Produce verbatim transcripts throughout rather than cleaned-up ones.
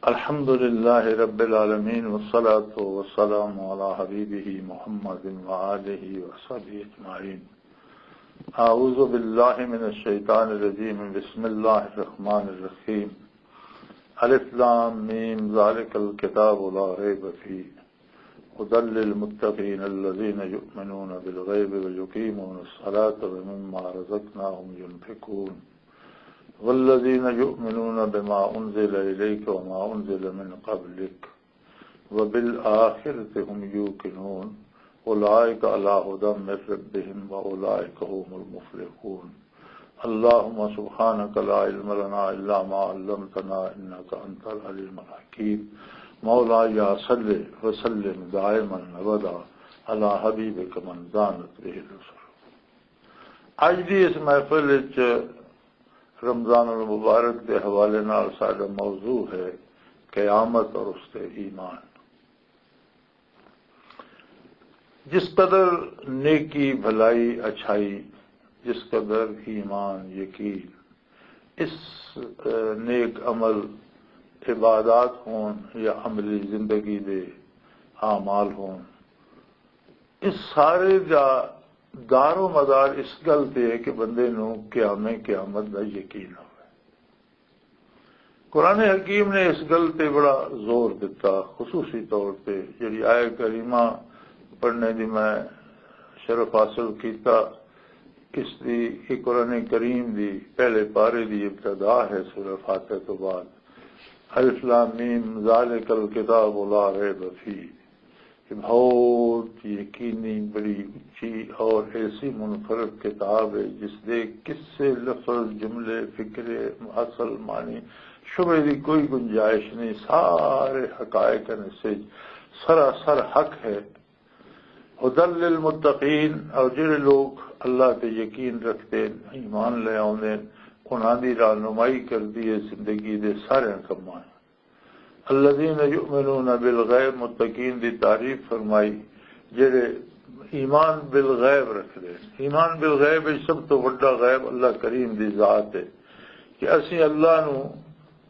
الحمد لله رب العالمين، والصلاة والسلام على حبيبه محمد وآله وصحبه أجمعين. أعوذ بالله من الشيطان الرجيم. بسم الله الرحمن الرحيم. ألف لام ميم. ذلك الكتاب لا ريب فيه. هدى للمتقين الذين يؤمنون بالغيب ويقيمون الصلاة ومما رزقناهم ينفقون. والذين يؤمنون بما أنزل إليك وما أنزل من قبلك وبالآخرة هم يوقنون. أولئك على هدى من ربهم وأولئك هم المفلحون. اللهم سبحانك لا علم لنا إلا ما علمتنا إنك أنت العليم الحكيم. مولاي صل وسلم دائما أبدا على حبيبك من دانت به الأسر. اج دی اس محفل وچ رمضان المبارک دے حوالے نال ساڈا موضوع ہے قیامت اور اس تے ایمان۔ جس قدر نیکی، بھلائی، اچھائی، جس قدر ایمان، یقین، اس، اے، نیک عمل، عبادات ہون یا عملی زندگی دے اعمال ہون، اس سارے دا دار و مدار اس گل تے ہے کہ بندے نوں قیام قیامت دا یقین ہوئے۔ قرآن حکیم نے اس گل تے بڑا زور دتا، خصوصی طور تے جڑی آیت کریمہ پڑھنے دی میں شرف حاصل کیتا، اس دی، یہ قرآن کریم دی پہلے پارے دی ابتدا ہے سورہ فاتحہ تو بعد۔ الف لام میم، ذالک الکتاب لا ریب فیہ۔ یہ بہت یقینی، بڑی اچھی اور ایسی منفرد کتاب ہے جس دے قصے، لفظ، جملے، فکرے، اصل معنی، شبے دی کوئی گنجائش نہیں۔ سارے حقائق ہیں، اس وچ سراسر حق ہے۔ ہدی للمتقین، اور جڑے لوگ اللہ تے یقین رکھتے ہیں، ایمان لے آوندے ہیں، انہاں دی رہنمائی کردی ہے زندگی دے سارے کماں۔ الذین یؤمنون بالغیب، متقین دی تعریف فرمائی، جڑے ایمان بالغیب رکھدے ہیں۔ ایمان بالغیب وچ سب تو وڈا غیب اللہ کریم دی ذات ہے، کہ اسی اللہ نو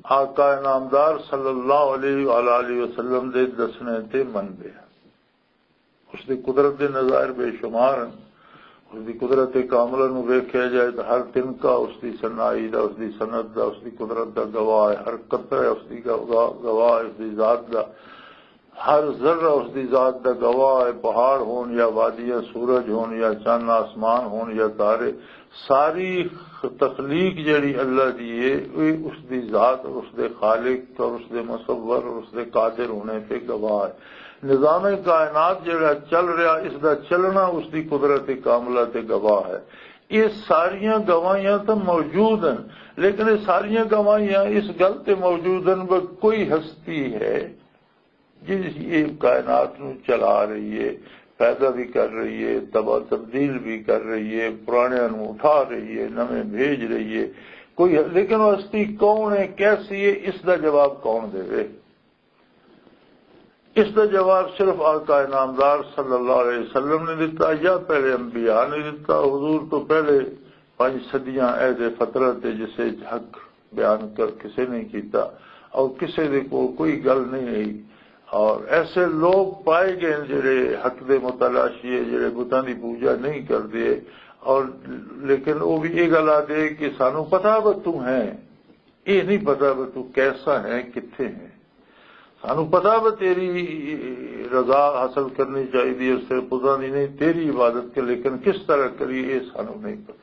آقا نامدار صلی اللہ علیہ وآلہ وسلم دے دسنے تے مندے ہیں۔ اس دی قدرت دے نظائر بے شمار ہیں۔ اس دی قدرت کاملہ نو ویکھیا جائے تو ہر تنکا اس دی صناعی دا، اس دی صنعت دا، اس دی قدرت دا گواہ ہے۔ ہر قطرہ اس دی گوا-، گواہ ہے، اس دی ذات دا۔ ہر ذرہ اس دی ذات دا گواہ ہے۔ پہاڑ ہون یا وادیاں، سورج ہون یا چند آسمان ہون یا تارے، ساری تخلیق جڑی اللہ دی ہے، وہ اس دی ذات اور اس دے خالق اور اس دے مصور اور اس دے قادر ہونے پہ گواہ ہے۔ نظام کائنات جڑا چل رہا، اس دا چلنا اس دی قدرت کاملہ تے گواہ ہے۔ یہ ساریاں گواہیاں تو موجود ہیں، لیکن یہ ساریاں گواہیاں اس گل تے موجود ہیں کہ کوئی ہستی ہے جس یہ کائنات نو چلا رہی ہے، پیدا بھی کر رہی ہے، تباہ تبدیل بھی کر رہی ہے، پرانیاں نو اٹھا رہی ہے، نویں بھیج رہی ہے۔ کوئی، لیکن وہ ہستی کون ہے، کیسی ہے، اس دا جواب کون دے؟ اس دا جواب صرف آقا نامدار صلی اللہ علیہ وسلم نے دتا یا پہلے انبیاء نے دتا؟ حضور تو پہلے پنج صدیاں عہد فترت ہے، جسے حق بیان کر کسے نہیں کیتا اور کسے دے کول کوئی گل نہیں رہی۔ اور ایسے لوگ پائے گئے ہیں جڑے حق دے متلاشی ہے، جڑے بتاں دی پوجا نہیں کردے، اور لیکن وہ بھی یہ گل آ دے کہ سانو پتا وہ تو ہے، یہ نہیں پتا وہ تو کیسا ہے، کتھے ہے۔ سانو پتا وہ تیری رضا حاصل کرنی چاہیے، صرف خدا دی نہیں، تیری عبادت کے، لیکن کس طرح کریے، یہ سانو نہیں پتا۔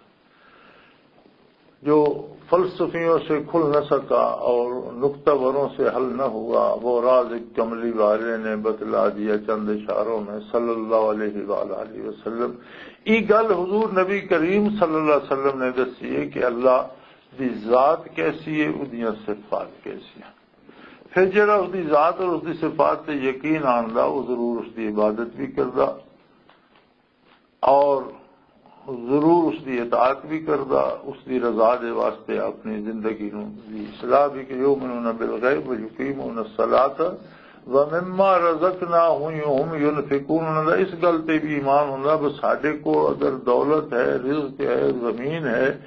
جو فلسفیوں سے کھل نہ سکا اور نقطہ وروں سے حل نہ ہوا، وہ راز ایک کملی والے نے بتلا دیا چند اشاروں میں، صلی اللہ علیہ وآلہ وسلم۔ یہ گل حضور نبی کریم صلی اللہ علیہ وسلم نے دسی ہے کہ اللہ دی ذات کیسی ہے، اودیاں صفات کیسی ہیں۔ پھر جڑا اس دی ذات اور اس دی صفات تے یقین آندا، وہ ضرور اس دی عبادت بھی کردا اور ضرور اس دی اطاعت بھی کردا، اس دی رضا دے واسطے اپنی زندگی نوں دی اصلاح بھی۔ کہ یؤمنون بالغیب و یقیمون الصلاۃ و مما رزقناہم ینفقون، انہاں دا اس گل تے بھی ایمان ہوندا، بس ساڈے کو اگر دولت ہے، رزق ہے، زمین ہے،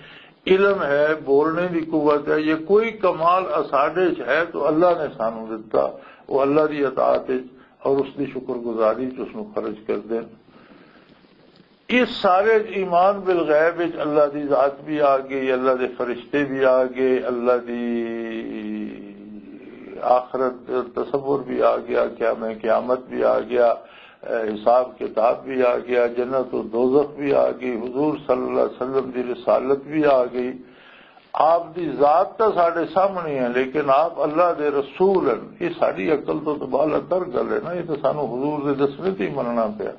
علم ہے، بولنے دی قوت ہے، یہ کوئی کمال اساڈے چ ہے تو اللہ نے سانو دتا۔ وہ اللہ دی اطاعت وچ اور اس دی شکر گزاری چ اس نو خرچ کر دین۔ اس سارے ایمان بالغیب وچ اللہ دی ذات بھی آ گئی، اللہ دے فرشتے بھی آ گئے، اللہ دی آخرت تصور بھی آ گیا، قیام قیامت بھی آ گیا، اے، حساب کتاب بھی آ گیا، جنت و دوزخ بھی آ گئی، حضور صلی اللہ علیہ وسلم دی رسالت بھی آ گئی۔ آپ دی ذات تاں ساڈے سامنے ہے، لیکن آپ اللہ دے رسول ہیں۔ یہ ساری عقل تو، تو بالا تر گل ہے نا، یہ تو سانو حضور دے دسنے تے ہی مننا پیا۔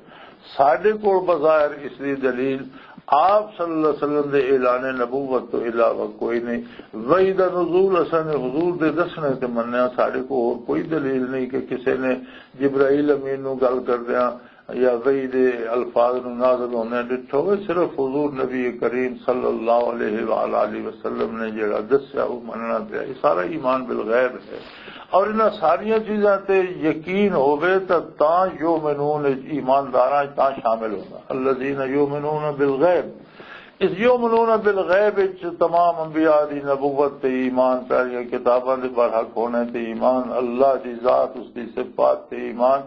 ساڈے کول بظاہر اس دی دلیل آپ صلی اللہ علیہ وسلم دے اعلان نبوت تو علاوہ کوئی نہیں۔ وحی دا نزول اساں نے حضور دے دسنے تے منیا، ساڈے کول ہور کوئی دلیل نہیں کہ کسے نے جبرائیل امین نو گل کردیاں یا وحی دے الفاظ نو نازل ہوندے ڈٹھا ہوئے۔ صرف حضور نبی کریم صلی اللہ علیہ وآلہ وسلم نے جڑا دسیا، وہ مننا پیا۔ یہ سارا ایمان بالغیب ہے۔ اور انہاں ساریاں چیزاں تے یقین ہووے تاں، تاں یؤمنون، ایمانداراں تاں شامل ہونا۔ الذین یؤمنون بالغیب، اس یؤمنون بالغیب وچ تمام انبیاء دی نبوت تے ایمان، ساریاں کتاباں دے برحق ہونے تے ایمان، اللہ دی ذات، اس دی صفات تے ایمان،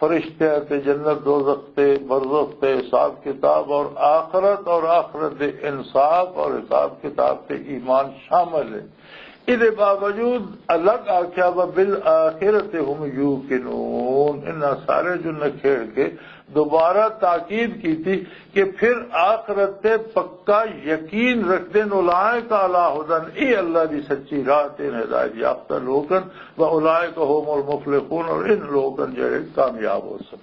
فرشتیاں تے، جنت دوزخ تے، برزخ تے، حساب کتاب اور آخرت، اور آخرت دے انصاف اور حساب کتاب تے ایمان شامل ہے۔ اس دے باوجود الگ آکھیا، "وبالآخرۃ هم یوقنون"، انہاں سارے جو نکھیڑ کے دوبارہ تاکید کیتی کہ پھر آخرت تے پکا یقین رکھدے نے، "اولئک علی ھدی"، اے اللہ دی سچی راہ تے ہدایت یافتہ لوگ ہن، "و اولئک هم المفلحون"، اور ان لوگ ہن جڑے کامیاب ہو سن۔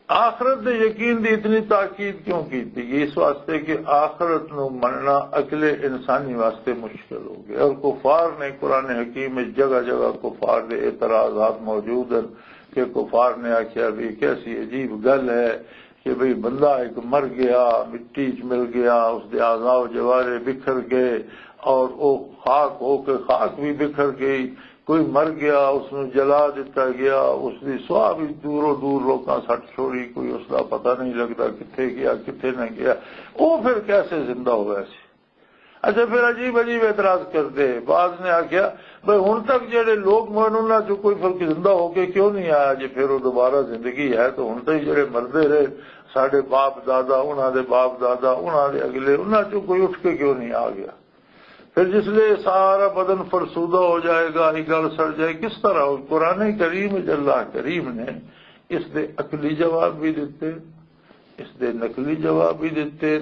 آخرت دے یقین دی اتنی تاکید کیوں کیتی گئی؟ اس واسطے کہ آخرت نو مننا عقل انسانی واسطے مشکل ہو گیا، اور کفار نے، قرآن حکیم میں جگہ جگہ کفار دے اعتراضات موجود ہیں کہ کفار نے آکھیا بھی کیسی عجیب گل ہے کہ بھئی بندہ ایک مر گیا، مٹی چ مل گیا، اس دے اعضاء و جوارے بکھر گئے اور وہ خاک ہو کے خاک بھی بکھر گئی، کوئی مر گیا، اس نو جلا دتا گیا، اس دی سواہ بھی دوروں دور لوکاں سٹ چھوڑی، کوئی اس دا پتہ نہیں لگدا کتھے گیا، کتھے نہ گیا۔ وہ پھر کیسے زندہ ہوا سی؟ اچھا، پھر عجیب عجیب اعتراض کردے۔ بعض نے آکھیا، "بھئی، ہن تک جڑے لوگ مرن، انہاں چوں کوئی فرق زندہ ہو کے کیوں نہیں آیا؟ جے پھر وہ دوبارہ زندگی ہے، تو ہن تک جڑے مردے رہے، ساڈے باپ دادا، انہاں دے باپ دادا، انہاں دے اگلے، انہاں چوں کوئی اٹھ کے کیوں نہیں آ گیا؟" پھر جس لے سارا بدن فرسودہ ہو جائے گا، یہ گل سڑ جائے، کس طرح ہو؟ قرآن کریم وچ اللہ کریم نے اس دے عقلی جواب بھی دتے، اس دے نقلی جواب بھی دتے،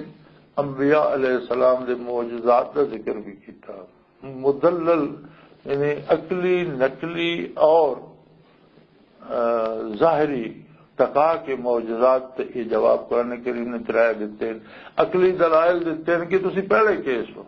انبیاء علیہ السلام دے معجزات دا ذکر بھی کیتا۔ مدلل، یعنی عقلی، نقلی اور، آ، ظاہری ٹکا کے معجزات تے یہ جواب قرآن کریم نے ترائے دتے ہیں۔ عقلی دلائل دتے ہیں کہ تسی پہلے کیس ہو،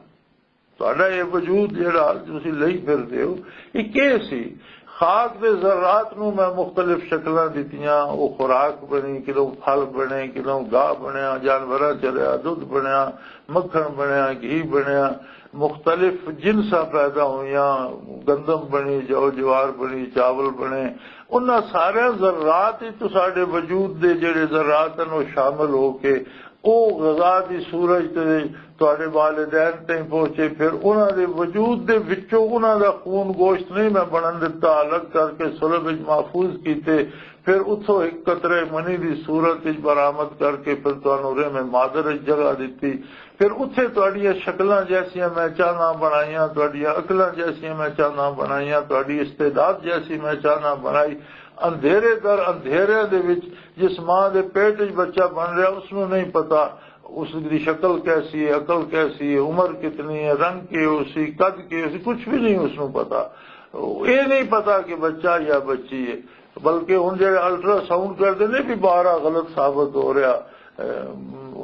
تہاڈا یہ وجود جڑا تسی لئی پھردے ہو، یہ کی سی؟ خاک دے ذرات نو میں مختلف شکلاں دتیاں، وہ خوراک بنی، کدوں پھل بنے، کدوں گاہ بنیا، جانوراں چ رہیا، دودھ بنیا، مکھن بنیا، گھی بنیا، مختلف جنساں پیدا ہوئیاں، گندم بنی، جو جوار بنی، چاول بنے۔ انہاں سارے ذرات وچ تو ساڈے وجود دے جڑے ذرات ہیں، وہ شامل ہو کے او غذا دی سورج تے تہاڈے والدین تائیں پہنچے۔ پھر انہاں دے وجود دے وچوں انہاں دا خون گوشت نہیں میں بنن دتا، الگ کر کے صلب وچ محفوظ کیتے۔ پھر اتھوں ایک قطرے منی دی صورت وچ برآمد کر کے پھر تانوں رحم مادر وچ جگہ دتی۔ پھر اتھے تہاڈیاں شکلاں جیسیاں میں چاہنا بنائیاں، تہاڈیاں عقلاں جیسیاں میں چاہنا بنائیاں، تہاڈی استعداد جیسی میں چاہنا بنائی۔ اندھیرے در اندھیرے دے وچ جس ماں دے پیٹ وچ بچہ بن رہا، اس نوں نہیں پتا اس دی شکل کیسی ہے، عقل کیسی ہے، عمر کتنی ہے، رنگ کی ہو سی، قد کی ہو سی، کچھ بھی نہیں اس نوں پتا۔ یہ نہیں پتا کہ بچہ یا بچی ہے۔ بلکہ ہن جڑے الٹرا ساؤنڈ کردے نے بھی بارہ غلط ثابت ہو رہا۔ اے،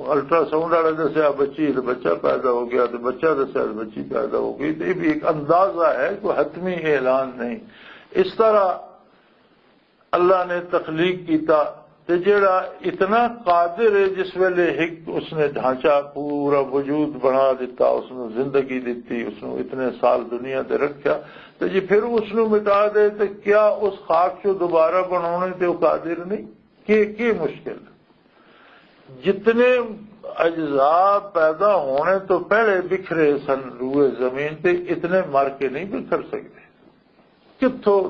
الٹرا ساؤنڈ والا دسیا بچی ہے تو بچہ پیدا ہو گیا، تو بچہ دسیا تو بچی پیدا ہو گئی۔ تو یہ بھی ایک اندازہ ہے، کوئی حتمی اعلان نہیں۔ اس طرح اللہ نے تخلیق کیتا، تے جیڑا اتنا قادر ہے، جس ویلے ایک اس نے ڈھانچہ پورا وجود بنا دیتا، اس نو زندگی دیتی، اس نو اتنے سال دنیا تے رکھیا، تے جی پھر اس نو مٹا دے، تے کیا اس خاک چوں دوبارہ بنانے تے وہ قادر نہیں؟ کہ کی مشکل؟ جتنے اجزاء پیدا ہونے تو پہلے بکھرے سن روئے زمین تے، اتنے مر کے نہیں بکھر سکتے۔ کتھوں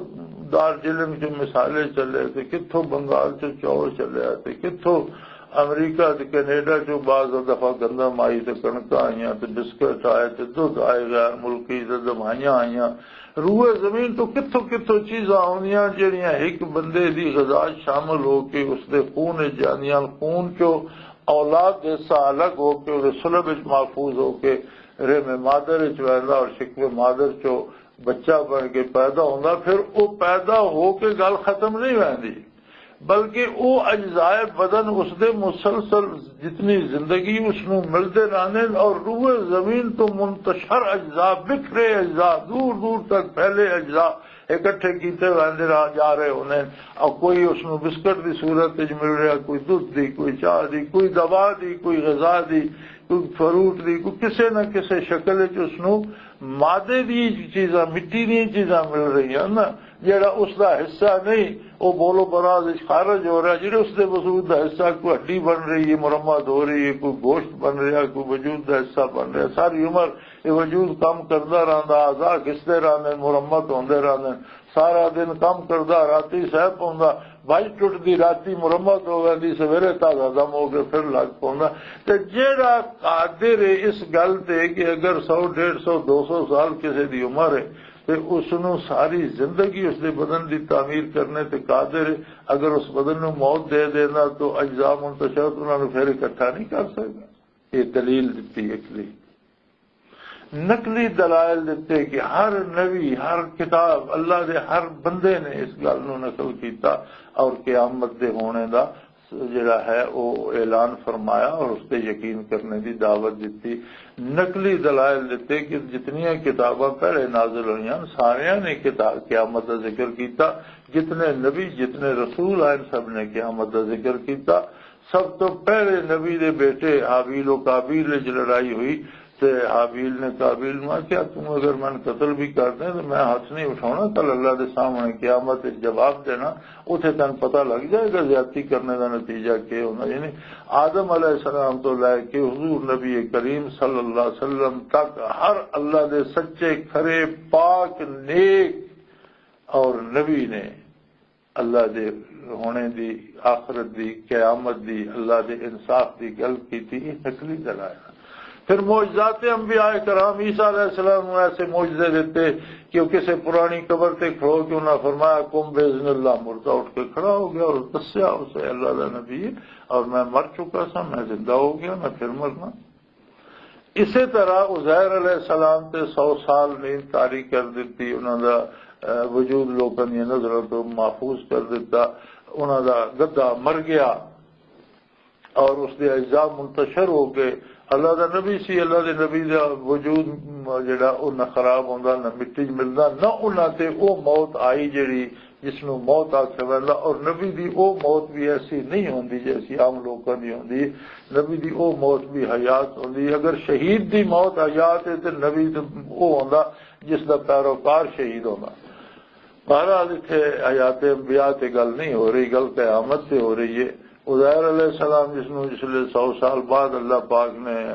دارجلنگ چ مسالے چلے تے، کتھوں بنگال چ چاول چلے تے، کتھوں امریکہ تے کینیڈا چ بعض دفعہ گندم آئی تے کنکاں آئیاں تے بسکٹ آئے تے دودھ آئے، غیر ملکی تے دوائیاں آئیاں۔ روئے زمین تو کتھوں کتھوں چیزاں آؤندیاں جڑیاں ایک بندے دی غذا شامل ہو کے اس دے خون وچ جاندیاں، خون چو اولاد دے حصہ الگ ہو کے اس دے صلب وچ محفوظ ہو کے رحم مادر وچ ویندا اور شکم مادر چو بچہ بن کے پیدا ہوندا، پھر او پیدا ہو کے گل ختم نہیں ویندی، بلکہ او اجزائے بدن اس دے مسلسل جتنی زندگی اس نو ملدے رہندے نے اور روئے زمین تو منتشر اجزاء، بکھرے اجزاء، دور دور تک پھیلے اجزاء اکٹھے کیتے ویندے رہ جا رہے ہوندے نے۔ اور کوئی اس نو بسکٹ دی صورت وچ مل رہا، کوئی دودھ دی، کوئی چاہ دی، کوئی دوا دی، کوئی غذا دی، کوئی فروٹ دی، کوئی کسے نہ کسے شکل وچ اس نو مادے دی چیزاں، مٹی دی چیزاں مل رہی ہیں نا۔ جڑا اس دا حصہ نہیں، وہ بولو براز وچ خارج ہو رہا۔ جڑے اس دے وجود دا حصہ، کوئی ہڈی بن رہی ہے، مرمت ہو رہی ہے، کوئی گوشت بن رہا، کوئی وجود دا حصہ بن رہا، ساری عمر یہ وجود کم کردا رہندا، اعضاء گھسدے رہندے، مرمت ہوندے رہندے۔ سارا دن کم کردا، راتی سہ پوندا، بھائی ٹٹدی، راتی مرمت ہو ویندی، سویرے تازہ دم ہو کے پھر لگ پوندا۔ تے جیڑا قادر ہے اس گل تے کہ اگر سو، ڈیڑھ سو، دو سو سال کسے دی عمر ہے، تے اس نو ساری زندگی اس دے بدن دی تعمیر کرنے تے قادر ہے، اگر اس بدن نو موت دے دینا تو اجزاء منتشرت انہاں نو پھر اکٹھا نہیں کر سکدا۔ یہ دلیل دتی اکلی۔ نقلی دلائل دتے کہ ہر نبی، ہر کتاب، اللہ دے ہر بندے نے اس گل نو نقل کیتا اور قیامت دے ہونے دا جڑا ہے او اعلان فرمایا اور اس تے یقین کرنے دی دعوت دتی۔ نقلی دلائل دتے کہ جتنیاں کتاباں پہلے نازل ہوئیاں، ساریاں نے کتا-، قیامت دا ذکر کیتا۔ جتنے نبی، جتنے رسول آئے، سب نے قیامت دا ذکر کیتا۔ سب تو پہلے نبی دے بیٹے ہابیل و کابیل وچ لڑائی ہوئی تے ہابیل نے کابیل نوں آکھیا، "توں اگر میں قتل بھی کر دیں تو میں ہاتھ نہیں اٹھاؤنا، کل اللہ دے سامنے قیامت وچ جواب دینا، اوتھے تینوں پتہ لگ جائے گا زیادتی کرنے دا نتیجہ کی ہونا۔" یعنی آدم علیہ السلام تو لے کے حضور نبی کریم صلی اللہ علیہ وسلم تک ہر اللہ دے سچے، کھرے، پاک، نیک اور نبی نے اللہ دے ہونے دی، آخرت دی، قیامت دی، اللہ دے انصاف دی گل کیتی، یہ نقلی دلائل۔ پھر معجزات انبیاء کرام عیسیٰ علیہ السلام نوں ایسے معجزے دیتے کہ وہ کسے پرانی قبر تے کھڑو کے انہاں فرمایا، "قم باذن اللہ"، مردہ اٹھ کے کھڑا ہو گیا اور دسیا اسے اللہ دا نبی ہے اور میں مر چکا سا، میں زندہ ہو گیا، میں پھر مرنا۔ اسی طرح عزیر علیہ السلام تے سو سال نیند طاری کر دتی، انہاں دا، اے، وجود لوکاں دی نظروں تو محفوظ کر دتا، انہاں دا گدھا مر گیا اور اس دے اجزاء منتشر ہو گئے۔ اللہ دا نبی سی، اللہ دے نبی دا وجود جڑا او نہ خراب ہوندا، نہ مٹی چ ملدا، نہ انہاں تے او موت آئی جڑی جس نوں موت آکھیا ویندا، اور نبی دی او موت بھی ایسی نہیں ہوندی جیسی عام لوکاں دی ہوندی۔ نبی دی او موت بھی حیات ہوندی۔ اگر شہید دی موت حیات ہے تے نبی تے او ہوندا جس دا پیروکار شہید ہوندا۔ بہرحال، اتھے حیات انبیاء تے گل نہیں ہو رہی، گل قیامت تے ہو رہی ہے۔ عزیر علیہ السلام جس نوں جس لے سو سال بعد اللہ پاک نے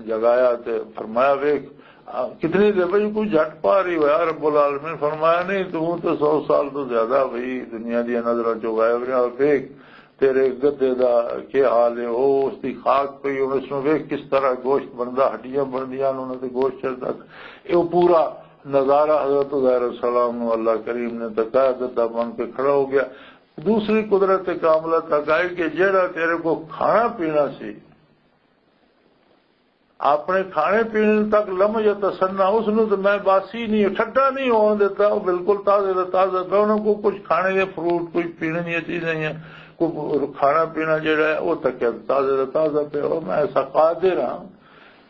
جگایا تے فرمایا، "ویکھ، آ، کتنی دیر بھئی کوئی جھٹ پا رہی ہو یار؟" رب العالمین فرمایا، "نہیں، تو تو سو سال تو زیادہ بھئی دنیا دی نظروں چوں غائب رہا، اور ویکھ تیرے گدھے دا کیا حال ہے، وہ اس دی خاک پئی، ہن اس نوں ویکھ کس طرح گوشت بندا، ہڈیاں بندیاں نے انہاں تے گوشت چڑھدا۔" یہ پورا نظارہ حضرت عزیر السلام نو اللہ کریم نے تکایا، گدا بن کے کھڑا ہو گیا۔ دوسری قدرت کاملہ تک آئی کہ جیڑا تیرے کو کھانا پینا سی، اپنے کھانے پینے تک لم یتسنہ، اس نو تو میں باسی نہیں، ٹھڈا نہیں ہون دیتا، وہ بالکل تازے دا تازہ پیا۔ انہوں کو کچھ کھانے دے فروٹ، کوئی پینے دیا چیزیں ہیں، کوئی کھانا پینا جیڑا ہے، وہ تک تازے دا تازہ پیا۔ اور میں ایسا قادر ہاں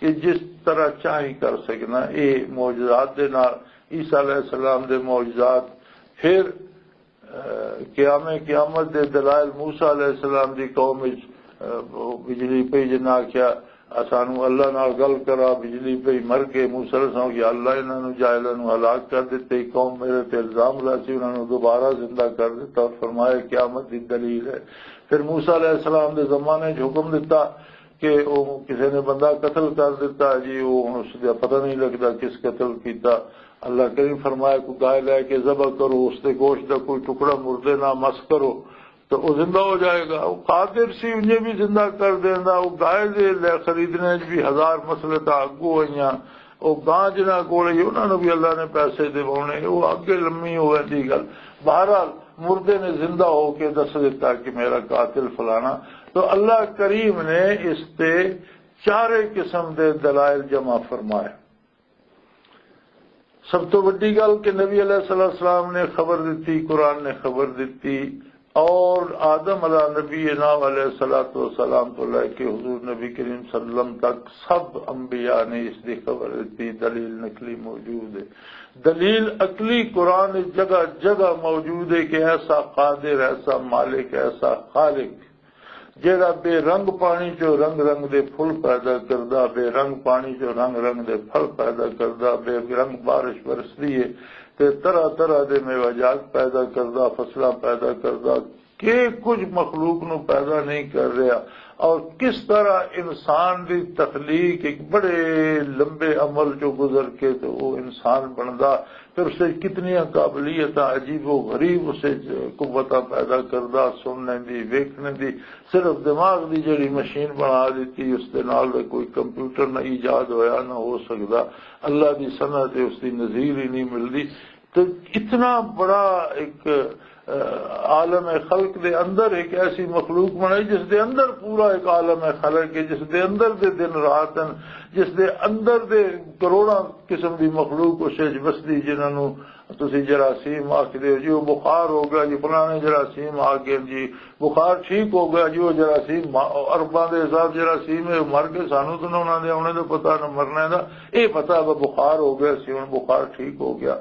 کہ جس طرح چاہی کر سکنا۔ یہ معجزات دے نال، عیسیٰ علیہ السلام دے معجزات، پھر، اہ، قیام قیامت دے دلائل، موسیٰ علیہ السلام دی قوم وچ، اہ، بجلی پئی جنہاں آکھیا، سانو اللہ نال گل کرا، بجلی پئی، مر گئے۔ موسیٰ علیہ السلام، یا اللہ، انہاں نوں، جاہلاں نوں ہلاک کر دتے، قوم میرے تے الزام لا سی، انہاں نوں دوبارہ زندہ کر دتا اور فرمایا قیامت دی دلیل ہے۔ پھر موسیٰ علیہ السلام دے زمانے 'چ حکم دتا کہ وہ کسی نے بندہ قتل کر دتا جی، وہ ہن اس دا پتہ نہیں لگدا کس قتل کیتا۔ اللہ کریم فرمایا، کوئی گائے لے کے ذبح کرو، اس دے گوشت دا کوئی ٹکڑا مردے نہ مس کرو، تو وہ زندہ ہو جائے گا۔ وہ قادر سی انہیں بھی زندہ کر دیندا۔ وہ گائے دے لے خریدنے 'چ بھی ہزار مسئلے تا اگو ہوئیاں۔ وہ گاں جنہاں کول ہی، انہاں نوں بھی اللہ نے پیسے دیوانے، وہ اگے لمبی ہوئے دی گل۔ بہرحال، مردے نے زندہ ہو کے دس دیتا کہ میرا قاتل فلانا۔ تو اللہ کریم نے اس تے چارے قسم دے دلائل جمع فرمائے۔ سب تو وڈی گل کہ نبی علیہ الصلوۃ والسلام نے خبر دتی، قرآن نے خبر دتی، اور آدم علیہ نبی ناو علیہ الصلوۃ والسلام تو لے کے حضور نبی کریم صلی اللہ علیہ وسلم تک سب انبیاء نے اس دی خبر دتی۔ دلیل نقلی موجود ہے، دلیل عقلی قرآن جگہ جگہ موجود ہے کہ ایسا قادر، ایسا مالک، ایسا خالق، جیڑا بے رنگ پانی چوں رنگ رنگ دے پھل پیدا کردا، بے رنگ پانی چوں رنگ رنگ دے پھل پیدا کردا، بے رنگ بارش برسدی ہے تے طرح طرح دے میوہ جات پیدا کردا، فصلاں پیدا کردا، کہ کچھ مخلوق نو پیدا نہیں کر رہا۔ اور کس طرح انسان دی تخلیق ایک بڑے لمبے عمل چوں گزر کے تے وہ انسان بندا، پھر اسے کتنی قابلیتاں عجیب و غریب اسے قوتاں پیدا کردا، سننے دی، ویکھنے دی، صرف دماغ دی جڑی مشین بنا دیتی، اس دے نال تے کوئی کمپیوٹر نہ ایجاد ہویا، نہ ہو سکدا۔ اللہ دی صنعت ہے، اس دی نظیر ہی نہیں ملدی۔ تو اتنا بڑا ایک، آ، عالم خلق دے اندر ایک ایسی مخلوق بنائی جس دے اندر پورا ایک عالم خلق ہے، جس دے اندر دے دن رات ہیں، جس دے اندر دے کروڑاں قسم دی مخلوق اس وچ وسدی، جنہاں نوں تسی جراثیم آکھدے ہو جی، وہ بخار ہو گیا جی، فلانے جراثیم آ گئے جی، بخار ٹھیک ہو گیا جی، وہ جراثیم ما-، ارباں دے حساب جراثیم ہے، مر گئے، سانوں تو نہ انہاں دے آنے دا پتہ، نہ مرنے دا، اے پتہ ہے بخار ہو گیا سی، ہن بخار ٹھیک ہو گیا۔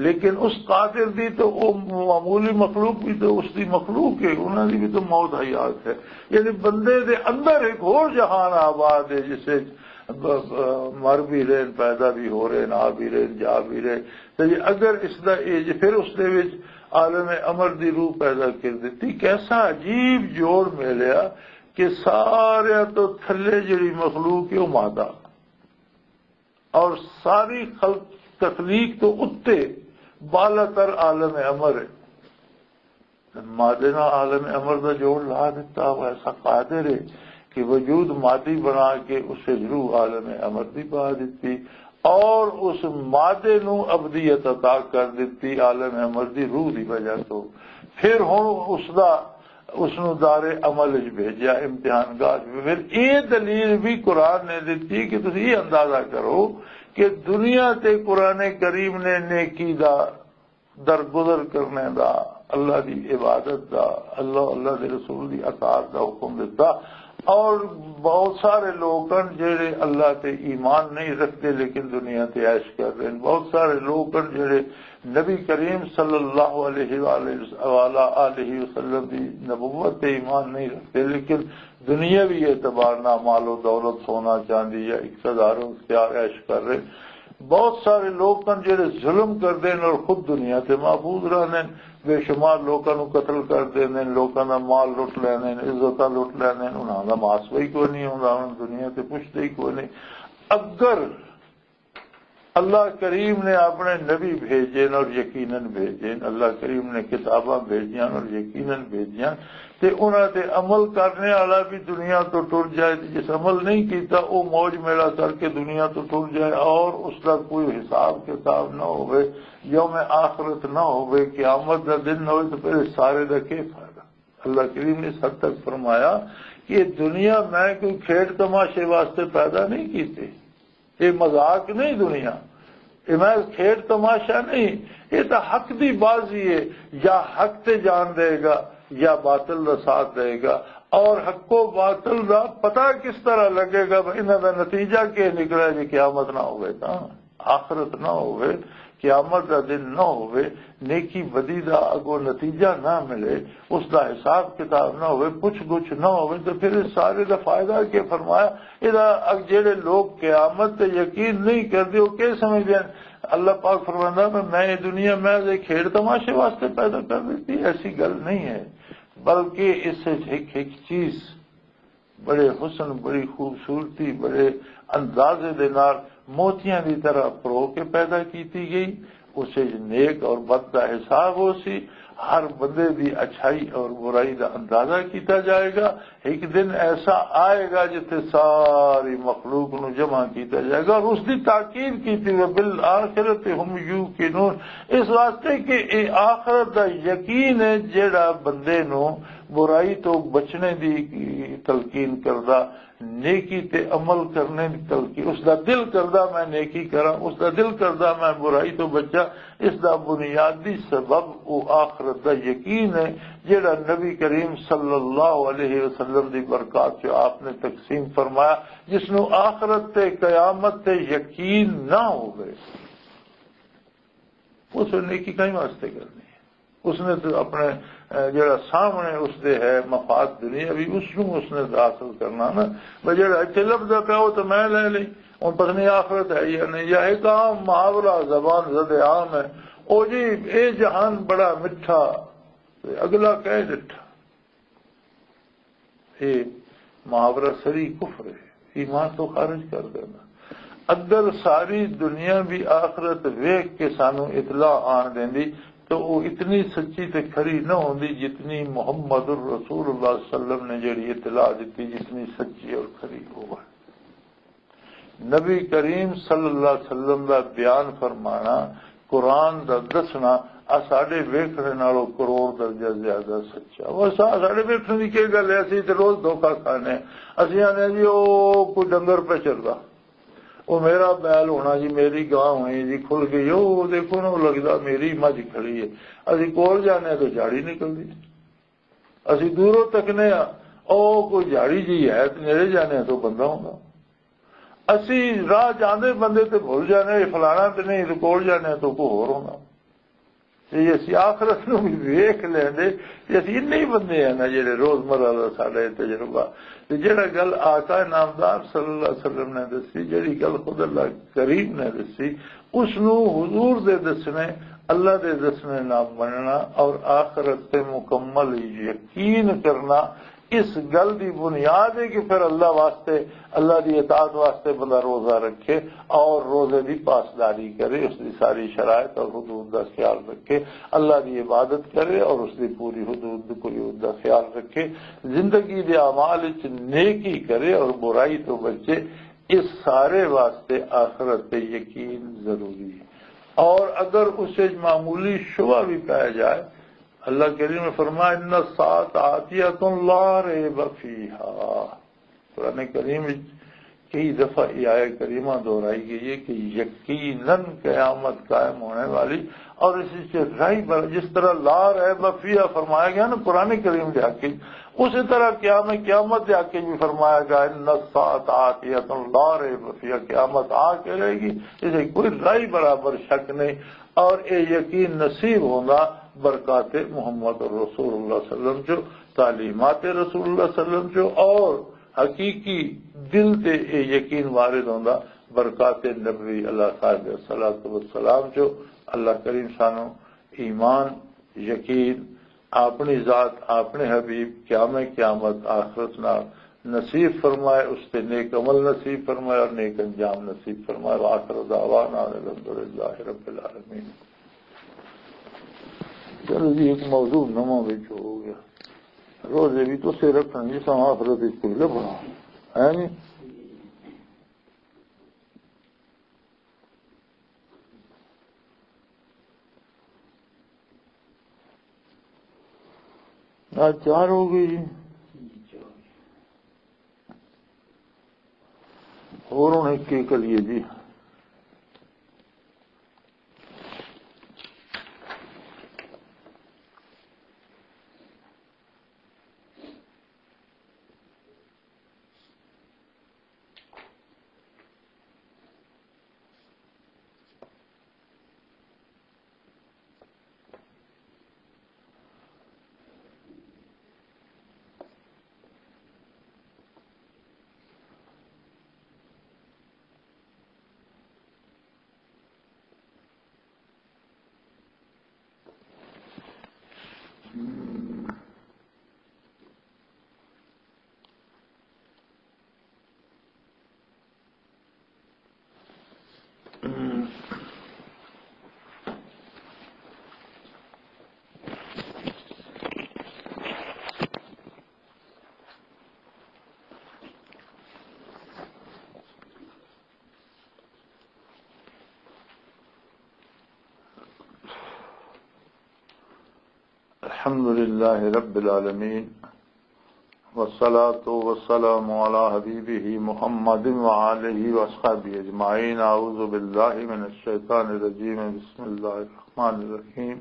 لیکن اس قادر دی تو وہ معمولی مخلوق بھی تو اس دی مخلوق ہے، انہاں دی بھی تو موت حیات ہے۔ یعنی بندے دے اندر ایک اور جہان آباد ہے، جس وچ ب-، ب-، مر بھی رہن، پیدا بھی ہو رہے، آ بھی رہے، جا بھی رہے۔ تے جی اگر اس دا اے جی پھر اس دے وچ عالم امر دی روح پیدا کر دتی، کیسا عجیب جوڑ ملیا کہ سارے تو تھلے جڑی مخلوق ہے وہ مادہ، اور ساری خلق، تخلیق تو اتے بالا تر عالم امر ہے۔ مادے نال عالم امر دا جوڑ لا دتا، وہ ایسا قادر ہے کہ وجود مادی بنا کے اسے روح عالم امر دی پا دتی، اور اس مادے نو ابدیت عطا کر دتی عالم امر دی روح دی وجہ تو۔ پھر ہن اس دا، اس نو دار عمل وچ بھیجیا، امتحان گاہ وچ۔ پھر یہ دلیل بھی قرآن نے دتی کہ تسی یہ اندازہ کرو کہ دنیا تے قرآن کریم نے نیکی دا درگزر کرنے دا، اللہ دی عبادت دا، اللہ، اللہ دے رسول دی اطاعت دا حکم دتا۔ اور بہت سارے لوگ ہیں جڑے اللہ تے ایمان نہیں رکھتے لیکن دنیا تے عیش کر رہے ہیں۔ بہت سارے لوگ ہیں جڑے نبی کریم صلی اللہ علیہ وآلہ، وآلہ آلہ وسلم دی نبوت تے ایمان نہیں رکھتے لیکن دنیاوی اعتبار نال مال و دولت، سونا چاندی یا اقتدار و اختیار عیش کر رہے۔ بہت سارے لوگ ہیں جڑے ظلم کردے ہیں اور خود دنیا تے محفوظ رہندے ہیں، بے شمار لوکاں نوں قتل کر دیندے ہیں، لوکاں دا مال لٹ لیندے ہیں، عزتاں لٹ لیندے ہیں، انہاں دا محاسبہ ہی کوئی نہیں ہوندا، انہاں نوں دنیا تے پوچھدے ہی کوئی نہیں۔ اگر اللہ کریم نے اپنے نبی بھیجے اور یقیناً بھیجے، اللہ کریم نے کتاباں بھیجیاں اور یقیناً بھیجیاں، تے انہاں تے عمل کرنے والا بھی دنیا تو ٹر جائے، تے جس عمل نہیں کیتا، وہ موج میلہ کر کے دنیا تو ٹر جائے اور اس دا کوئی حساب کتاب نہ ہوئے، یوم آخرت نہ ہوئے، قیامت دا دن نہ ہوئے، تو پھر اس سارے دا کی فائدہ؟ اللہ کریم نے اس حد تک فرمایا کہ یہ دنیا میں کوئی کھیڈ تماشے واسطے پیدا نہیں کیتے۔ یہ مذاق نہیں دنیا، یہ محض کھیڈ تماشا نہیں، یہ تو حق دی بازی ہے۔ یا حق تے جان دے گا یا باطل دا ساتھ دے گا، اور حق و باطل دا پتہ کس طرح لگے گا، انہاں دا نتیجہ کیا نکلے جی قیامت نہ ہوئے، تا آخرت نہ ہوئے۔ قیامت دا دن نہ ہوئے، نیکی بدی دا اگوں نتیجہ نہ ملے، اس دا حساب کتاب نہ ہوئے، پوچھ گچھ نہ ہوئے، تو پھر اس سارے دا فائدہ کیا؟ فرمایا، ادا اگ جڑے لوگ قیامت تے یقین نہیں کردے، وہ کیا سمجھدے ہیں؟ اللہ پاک فرماندا، میں، میں یہ دنیا میں ایک کھیڈ تماشے واسطے پیدا کر دیتی، ایسی گل نہیں ہے، بلکہ اس سے ایک، ایک چیز بڑے حسن، بڑی خوبصورتی، بڑے اندازے دے نال موتیاں دی طرح پرو کے پیدا کیتی گئی۔ اس وچ نیک اور بد دا حساب ہو سی۔ ہر بندے دی اچھائی اور برائی دا اندازہ کیتا جائے گا۔ ایک دن ایسا آئے گا جتھے ساری مخلوق نو جمع کیتا جائے گا اور اس دی تاکید کیتی ہوئی، بالآخرۃ هم یوقنون، اس واسطے کہ اے آخرت دا یقین ہے جیڑا بندے نو برائی تو بچنے دی تلقین کردا، نیکی تے عمل کرنے دی تلقین، اس دا دل کردا میں نیکی کراں، اس دا دل کردا میں برائی تو بچاں۔ اس دا بنیادی سبب او آخرت دا یقین ہے، جڑا نبی کریم صلی اللہ علیہ وسلم دی برکات چ آپ نے تقسیم فرمایا۔ جس نو آخرت تے قیامت تے یقین نہ ہوئے، اس نے نیکی کہیں واسطے کرنی ہے؟ اس نے تو اپنے، اے، جڑا سامنے اس دے ہے مفاد دنیاوی، اس نو اس نے حاصل کرنا نا۔ بس جڑا اتنے لبدا پیا، وہ تو میں لے لئی۔ ہن پتہ نہیں آخرت ہے یا نہیں، یا ایک عام محاورہ، زبان زد عام ہے، او جی، اے جہان بڑا مٹھا، تے اگلا کہہ ڈٹھا۔ یہ محاورہ سری کفر ہے، ایمان تو خارج کر دینا۔ اگر ساری دنیا بھی آخرت ویکھ کے سانو اطلاع آن دیندی تو وہ اتنی سچی تے کھری نہ ہوندی جتنی محمد الرسول اللہ صلی اللہ علیہ وسلم نے جڑی اطلاع دیتی، جتنی سچی اور کھری ہوئے۔ نبی کریم صلی اللہ علیہ وسلم دا بیان فرمانا، قرآن دا دسنا، آ ساڈے ویکھنے نالوں کروڑ درجہ زیادہ سچا۔ وہ سا-، ساڈے ویکھنے دی کی گل ہے؟ اسی تے روز دھوکا کھانے۔ اسی آنے جی، او کوئی ڈنگر پہ چردا، او میرا بیل ہونا جی، میری گاں ہونی جی، کھل گئی، او دیکھو نا، او لگدا میری مجھ کھڑی ہے۔ اسی کول جانے تو جھاڑی نکلدی۔ اسی دوروں تکنے آ، او کوئی جھاڑی جی ہے، تے نیڑے جانے تو بندہ ہوندا۔ اسی راہ جاندے بندے تے بھول جانے، یہ فلانا تے نہیں، تے کول جانے تو کوئی ہور ہوندا۔ تے اسی آخرت نو بھی ویکھ لیندے، تے اسی اتنے ہی بندے ہیں نا جڑے روزمرہ دا ساڈا یہ تجربہ۔ تے جڑا گل آقا نامدار صلی اللہ علیہ وسلم نے دسی، جڑی گل خود اللہ کریم نے دسی، اس نو حضور دے دسنے، اللہ دے دسنے نہ مننا اور آخرت تے مکمل یقین کرنا، اس گل دی بنیاد ہے کہ پھر اللہ واسطے، اللہ دی اطاعت واسطے بندہ روزہ رکھے اور روزے دی پاسداری کرے، اس دی ساری شرائط اور حدود دا خیال رکھے، اللہ دی عبادت کرے اور اس دی پوری حدود، قیود دا خیال رکھے، زندگی دے اعمال وچ نیکی کرے اور برائی تو بچے۔ اس سارے واسطے آخرت تے یقین ضروری ہے۔ اور اگر اس وچ معمولی شبہ بھی پایا جائے، اللہ کریم نے فرمایا، "ان الساعۃ آتیۃ لا ریب فیہا۔" قرآن کریم وچ کئی دفعہ یہ آیت کریمہ دہرائی گئی ہے کہ یقیناً قیامت قائم ہونے والی، اور اس سے رائی بر-، جس طرح لا ریب فیہا فرمایا گیا نا قرآن کریم دے حق وچ، اسی طرح قیام قیامت دے حق وچ بھی فرمایا گیا، "ان الساعۃ آتیۃ لا ریب فیہا"، قیامت آ کے رہے گی، اسے کوئی رائی برابر شک نہیں۔ اور اے یقین نصیب ہوندا برکات محمد رسول اللہ صلی اللہ علیہ وسلم چو، تعلیمات رسول اللہ صلی اللہ علیہ وسلم چو، اور حقیقی دل تے اے یقین وارد ہوندا برکات نبوی اللہ صاحب الصلوۃ والسلام چو۔ اللہ کریم سانو ایمان، یقین، اپنی ذات، اپنے حبیب، قیام قیامت، آخرت نال نصیب فرمائے، اس تے نیک عمل نصیب فرمائے اور نیک انجام نصیب فرمائے۔ وآخر دعوانا ان الحمدللہ رب العالمین۔ چلو جی، ایک موضوع نواں وچ ہو گیا۔ روزے بھی تو سے رکھن جس آخرت وچ کوئی لبھنا ہے نہیں۔ آج چار ہو گئی جی۔ اور ہن ایک کے کریے جی؟ الحمد لله رب العالمين، والصلاة والسلام على حبيبه محمد وآله وأصحابه أجمعين. أعوذ بالله من الشيطان الرجيم. بسم الله الرحمن الرحيم.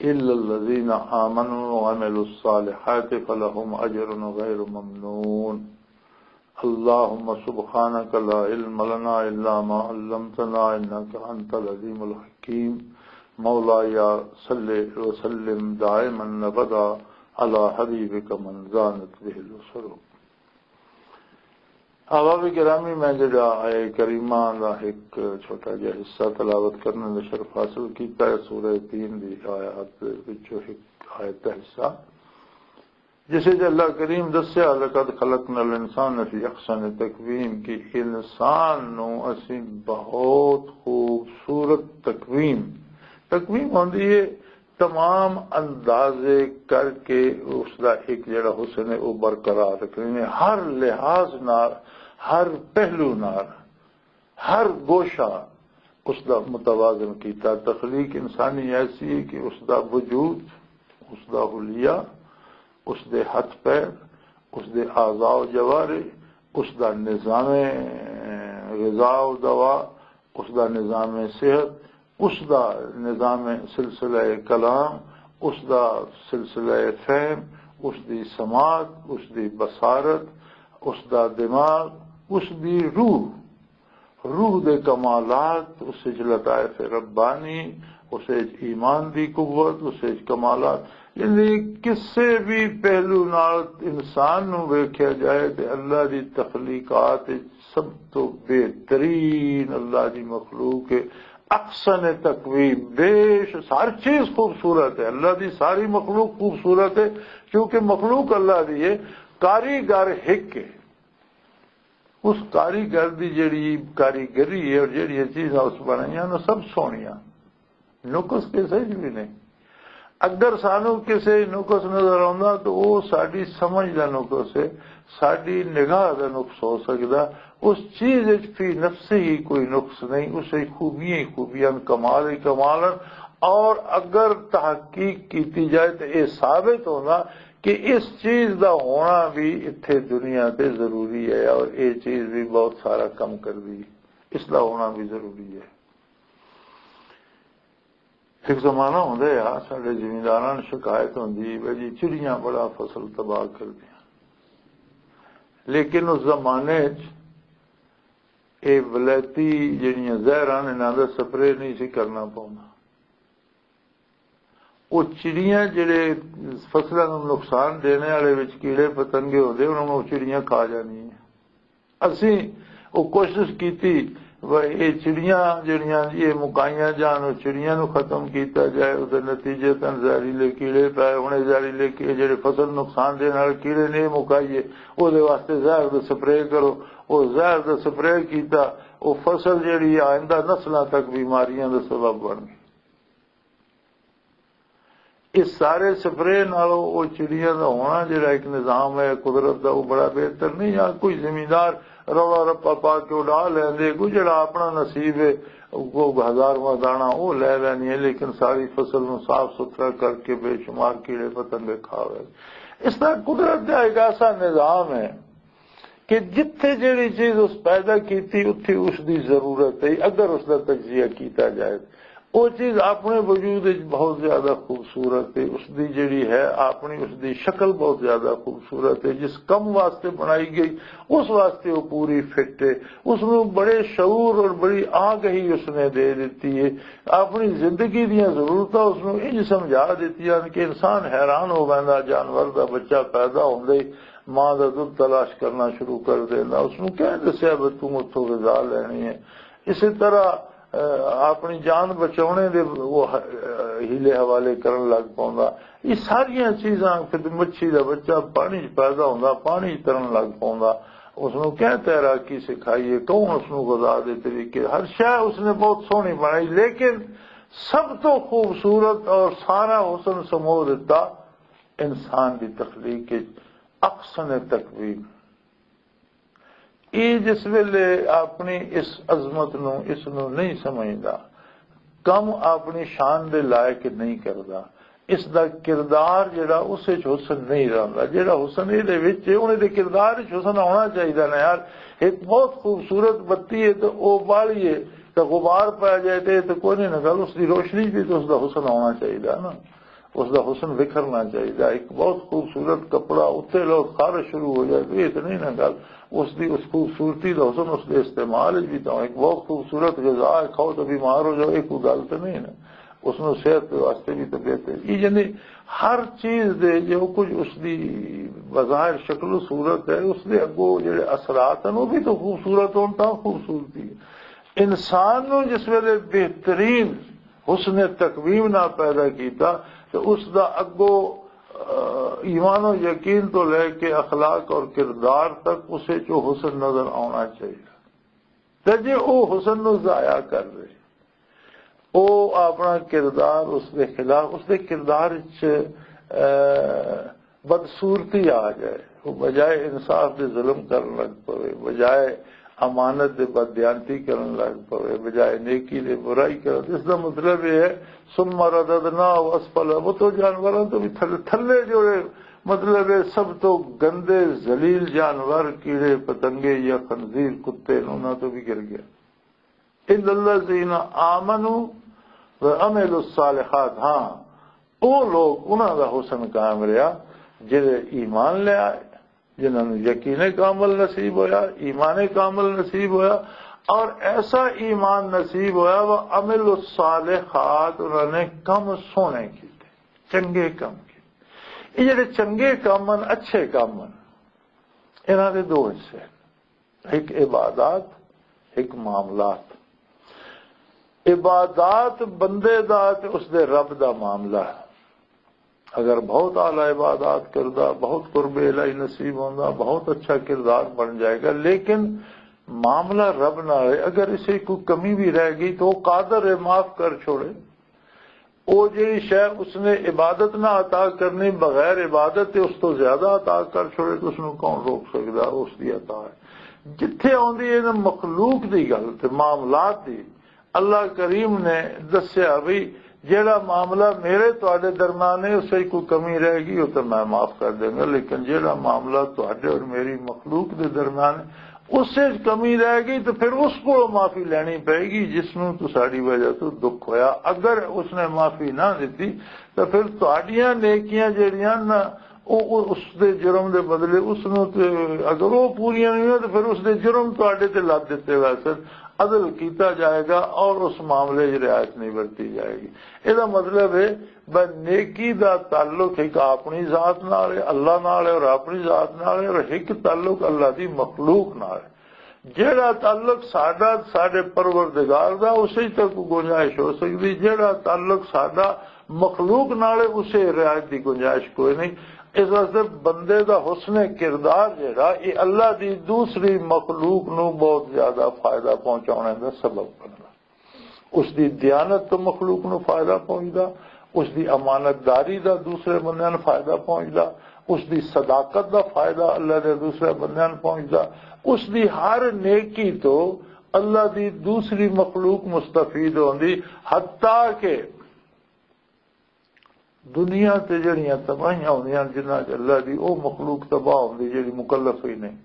إلا الذين آمنوا وعملوا الصالحات فلهم أجر غير ممنون. اللهم سبحانك لا علم لنا إلا ما علمتنا إنك أنت العليم الحكيم. مولاي صل وسلم دائما أبدا على حبيبك من زانت به الأسر. احباب گرامی، میں جڑا آیہ کریمہ دا ایک چھوٹا جہا حصہ تلاوت کرنے دا شرف حاصل کیتا ہے، سورہ تین دی آیات وچوں ایک آیت دا حصہ، جس وچ اللہ کریم دسیا، "لقد خلقنا الانسان فی احسن تقویم"، کہ انسان نو اسی بہت خوبصورت تقویم، تقویم ہوندی ہے تمام اندازے کر کے اس دا ایک جڑا حسن ہے وہ برقرار رکھنے، ہر لحاظ نال، ہر پہلو نال، ہر گوشہ اس دا متوازن کیتا۔ تخلیق انسانی ایسی ہے کہ اس دا وجود، اس دا حلیہ، اس دے ہتھ پیر، اس دے اعضاء و جوارح، اس دا نظام غذا و دوا، اس دا نظام صحت، اس دا نظام سلسلہ کلام، اس دا سلسلہ فہم، اس دی سماعت، اس دی بصارت، اس دا دماغ، اس دی روح، روح دے کمالات، اس وچ لطائف ربانی، اس وچ ایمان دی قوت، اس وچ کمالات، یعنی کسے بھی پہلو نال انسان نو ویکھیا جائے تے اللہ دی تخلیقات وچ سب تو بہترین اللہ دی مخلوق ہے، احسن تقویم، بیش ہر چیز خوبصورت ہے، اللہ دی ساری مخلوق خوبصورت ہے، کیونکہ مخلوق اللہ دی ہے، کاریگر ہک ہے۔ اس کاریگر دی جڑی کاریگری ہے اور جڑیاں چیزاں اس بنائیاں نے سب سوہنیاں، نقص کسے چ بھی نہیں۔ اگر سانو کسے نقص نظر آوندا تو وہ ساڈی سمجھ دا نقص ہے، ساڈی نگاہ دا نقص ہو سکدا۔ اس چیز وچ فی نفسہ ہی کوئی نقص نہیں، اس وچ خوبیاں ہی خوبیاں، کمال ہی کمال ہیں۔ اور اگر تحقیق کیتی جائے تو یہ ثابت ہونا کہ اس چیز دا ہونا بھی اتھے دنیا تے ضروری ہے اور یہ چیز بھی بہت سارا کم کر دی، اس دا ہونا بھی ضروری ہے۔ ایک زمانہ ہوندا ہے، ساڈے زمینداراں نوں شکایت ہوندی ہے جی، چڑیاں بڑا فصل تباہ کر دیا۔ لیکن اس زمانے چ یہ ولایتی جڑیاں زہراں نے، انہاں دا سپرے نہیں سی کرنا پوندا۔ وہ چڑیاں جڑے فصلاں نوں نقصان دینے والے وچ کیڑے پتنگے ہوندے، انہاں نوں چڑیاں کھا جانی ہے۔ اسی وہ کوشش کیتی، وہ یہ چڑیاں جڑیاں یہ مکائیاں جان، وہ چڑیاں نوں ختم کیتا جائے۔ اس دے نتیجے تن زہریلے کیڑے پائے۔ ہن یہ زہریلے کی-، جڑے فصل نقصان دین والے کیڑے نے، یہ مکائیے، وہ دے واسطے زہر دا سپرے کرو۔ وہ زہر دا سپرے کیتا، وہ فصل جڑی آئندہ نسلاں تک بیماریاں دا سبب بن گئی۔ اس سارے سپرے نالوں او چڑیاں دا ہونا جڑا ایک نظام ہے قدرت دا، وہ بڑا بہتر نہیں؟ یا کوئی زمیندار رولا رپا پا کے اڈا لیندے، کوئی جڑا اپنا نصیب ہے، وہ ہزارواں دانا وہ لے لینی ہے، لیکن ساری فصل نوں صاف ستھرا کر کے بے شمار کیڑے پتنگے کھا گئے۔ اس طرح قدرت دا ایک ایسا نظام ہے کہ جتھے جڑی چیز اس پیدا کیتی، اتھی اس دی ضرورت ہے۔ اگر اس دا تجزیہ کیتا جائے، وہ چیز اپنے وجود وچ بہت زیادہ خوبصورت ہے۔ اس دی جڑی ہے اپنی، اس دی شکل بہت زیادہ خوبصورت ہے۔ جس کم واسطے بنائی گئی، اس واسطے وہ پوری فٹ ہے۔ اس نوں بڑے شعور اور بڑی آگہی اس نے دے دیتی ہے۔ اپنی زندگی دیاں ضرورتاں اس نوں انج سمجھا دیتی ہیں کہ انسان حیران ہو ویندا۔ جانور دا بچہ پیدا ہوندے ہی ماں دا دودھ تلاش کرنا شروع کر دینا۔ اس نوں کہہ دسیا بھی تم اتھوں غذا لینی ہے؟ اسی طرح اپنی جان بچاؤنے دے وہ ہیلے حوالے کرن لگ پوندا۔ یہ ساریاں چیزاں، پھر مچھی دا بچہ پانی چ پیدا ہوندا، پانی چ ترن لگ پوندا۔ اس نو کیا تیراکی سکھائی ہے، کون اس نو غذا دے طریقے، ہر شے اس نے بہت سوہنی بنائی، لیکن سب تو خوبصورت اور سارا حسن سمو دیتا انسان دی تخلیق وچ احسن تقویم۔ یہ جس ویلے اپنی اس عظمت نو، اس نو نہیں سمجھدا، کم اپنی شان دے لائق نہیں کردا، اس دا کردار جڑا اس وچ حسن نہیں رہندا۔ جڑا حسن اے دے وچ ہے، انہیں دے کردار وچ حسن آنا چاہیدا نا یار۔ ایک بہت خوبصورت بتی ہے تے او بالی ہے، تے غبار پی جائے تے، تے کوئی نہیں نہ گل، اس دی روشنی بھی تے اس دا حسن آنا چاہیدا نا۔ اس دا حسن بکھرنا چاہیے۔ ایک بہت خوبصورت کپڑا اتنے لوگ خارش شروع ہو جائے تو یہ تو نہیں نا گل۔ اس دی، اس خوبصورتی دا حسن اس دے استعمال وچ بھی تو ایک بہت خوبصورت غذا ہے، کھاؤ تو بیمار ہو جاؤ، یہ کوئی گل تو نہیں نا۔ اس نو صحت دے واسطے بھی تو بہتر۔ یہ یعنی ہر چیز دے جو کچھ اس دی بظاہر شکل و صورت ہے، اس دے اگوں جڑے اثرات ہیں، وہ بھی تو خوبصورت ہون تاں خوبصورتی ہے۔ انسان نو جس ویلے بہترین حسن تقویم نہ پیدا کیتا، تو اس دا اگو، آ، ایمان و یقین تو لے کے اخلاق اور کردار تک اسے چو حسن نظر آنا چاہیے۔ تے جے او حسن نو ضائع کر دے، او اپنا کردار اس دے خلاف، اس دے کردار وچ، آ، بدصورتی آ جائے، وہ بجائے انصاف دے ظلم کرن لگ پوے، بجائے امانت دے بددیانتی کرن لگ پوے، بجائے نیکی دے برائی کرن۔ اس دا مطلب یہ ہے، ثم رددناہ اسفل، وہ تو جانوراں تو بھی تھلے، تھلے جوڑے، مطلب ہے سب تو گندے، ذلیل جانور، کیڑے، پتنگے یا خنزیر، کتے نے، انہاں تو بھی گر گیا۔ الا الذین آمنوا وعملوا الصالحات، ہاں، او لوگ، انہاں دا حسن قائم رہیا جڑے ایمان لے آئے، جنہاں نوں یقین کامل نصیب ہویا، ایمان کامل نصیب ہویا، اور ایسا ایمان نصیب ہویا، وعملوا الصالحات، انہاں نے کم سونے کیتے، چنگے کم کیتے۔ یہ جڑے چنگے کم ہن، اچھے کم ہن، انہاں دے دو حصے ہن۔ ایک عبادات، ایک معاملات۔ عبادات بندے دا تے اس دے رب دا معاملہ ہے۔ اگر بہت اعلیٰ عبادات کردا، بہت قرب الہی نصیب ہوندا، بہت اچھا کردار بن جائے گا، لیکن معاملہ رب نال ہے۔ اگر اسے کوئی کمی بھی رہ گئی تو وہ قادر ہے، معاف کر چھوڑے۔ او جڑی شے اس نے عبادت نہ عطا کرنی، بغیر عبادت تے اس تو زیادہ عطا کر چھوڑے، تو اس نوں کون روک سکدا؟ اس دی عطا ہے۔ جتھے آندی ہے نا مخلوق دی گل تے معاملات دی، اللہ کریم نے دسیا بھی، جڑا معاملہ میرے تواڈے درمیان ہے، اس وچ کوئی کمی رہ گئی ہو تو میں معاف کر دیں گا، لیکن جڑا معاملہ تواڈے اور میری مخلوق دے درمیان ہے، اس وچ کمی رہ گئی تو پھر اس کو معافی لینی پائے گی، جس نوں تو ساڈی وجہ تو دکھ ہویا۔ اگر اس نے معافی نہ دتی تو پھر تہاڈیاں نیکیاں جڑیاں نا، او، او اس دے جرم دے بدلے اس نوں تے، اگر وہ پوریاں نہیں ہوئیاں تو پھر اس دے جرم تہاڈے تے لد دتے ویسے۔ عدل کیتا جائے گا اور اس معاملے 'چ رعایت نہیں برتی جائے گی۔ یہ مطلب ہے، بس نیکی دا تعلق ایک اپنی ذات نال ہے، اللہ نال ہے اور اپنی ذات نال ہے، اور ایک تعلق اللہ دی مخلوق نال ہے۔ جیڑا تعلق ساڈا ساڈے پروردگار دا، اسے تک گنجائش ہو سکدی۔ جیڑا تعلق ساڈا مخلوق نال ہے، اسے رعایت دی گنجائش کوئی نہیں۔ اس واسطے بندے دا حسن کردار جیڑا، یہ اللہ دی دوسری مخلوق نو بہت زیادہ فائدہ پہنچانے دا سبب بندا۔ اس دی دیانت تو مخلوق نو فائدہ پہنچدا، اس دی امانت داری دا دوسرے بندیاں نوں فائدہ پہنچدا، اس دی صداقت دا فائدہ اللہ دے دوسرے بندیاں نوں پہنچدا، اس دی ہر نیکی تو اللہ دی دوسری مخلوق مستفید ہوندی، حتیٰ کہ دنیا تے جڑیاں تباہیاں ہوندیاں، جنہاں چ اللہ دی او مخلوق تباہ ہوندی جڑی مکلف ہی نہیں۔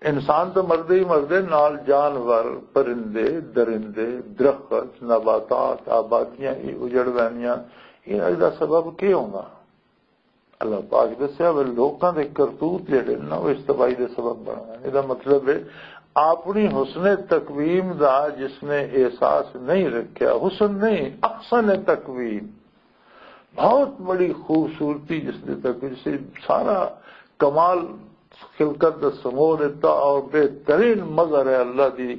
انسان تو مردے ہی مردے، نال جانور، پرندے، درندے، درخت، نباتات، آبادیاں، یہ اجڑ ویندیاں۔ یہ دا سبب کی ہونا؟ اللہ پاک دسیا، وہ لوکاں دے کرتوت جڑے نا، وہ اس تباہی دے سبب بن گئے۔ یہ مطلب ہے، اپنی حسن تقویم دا جس نے احساس نہیں رکھیا، حسن نہیں، احسن تقویم، بہت بڑی خوبصورتی جس نے تک، جسے سارا کمال خلقت دا سمو دیتا اور بہترین مظہر ہے اللہ دی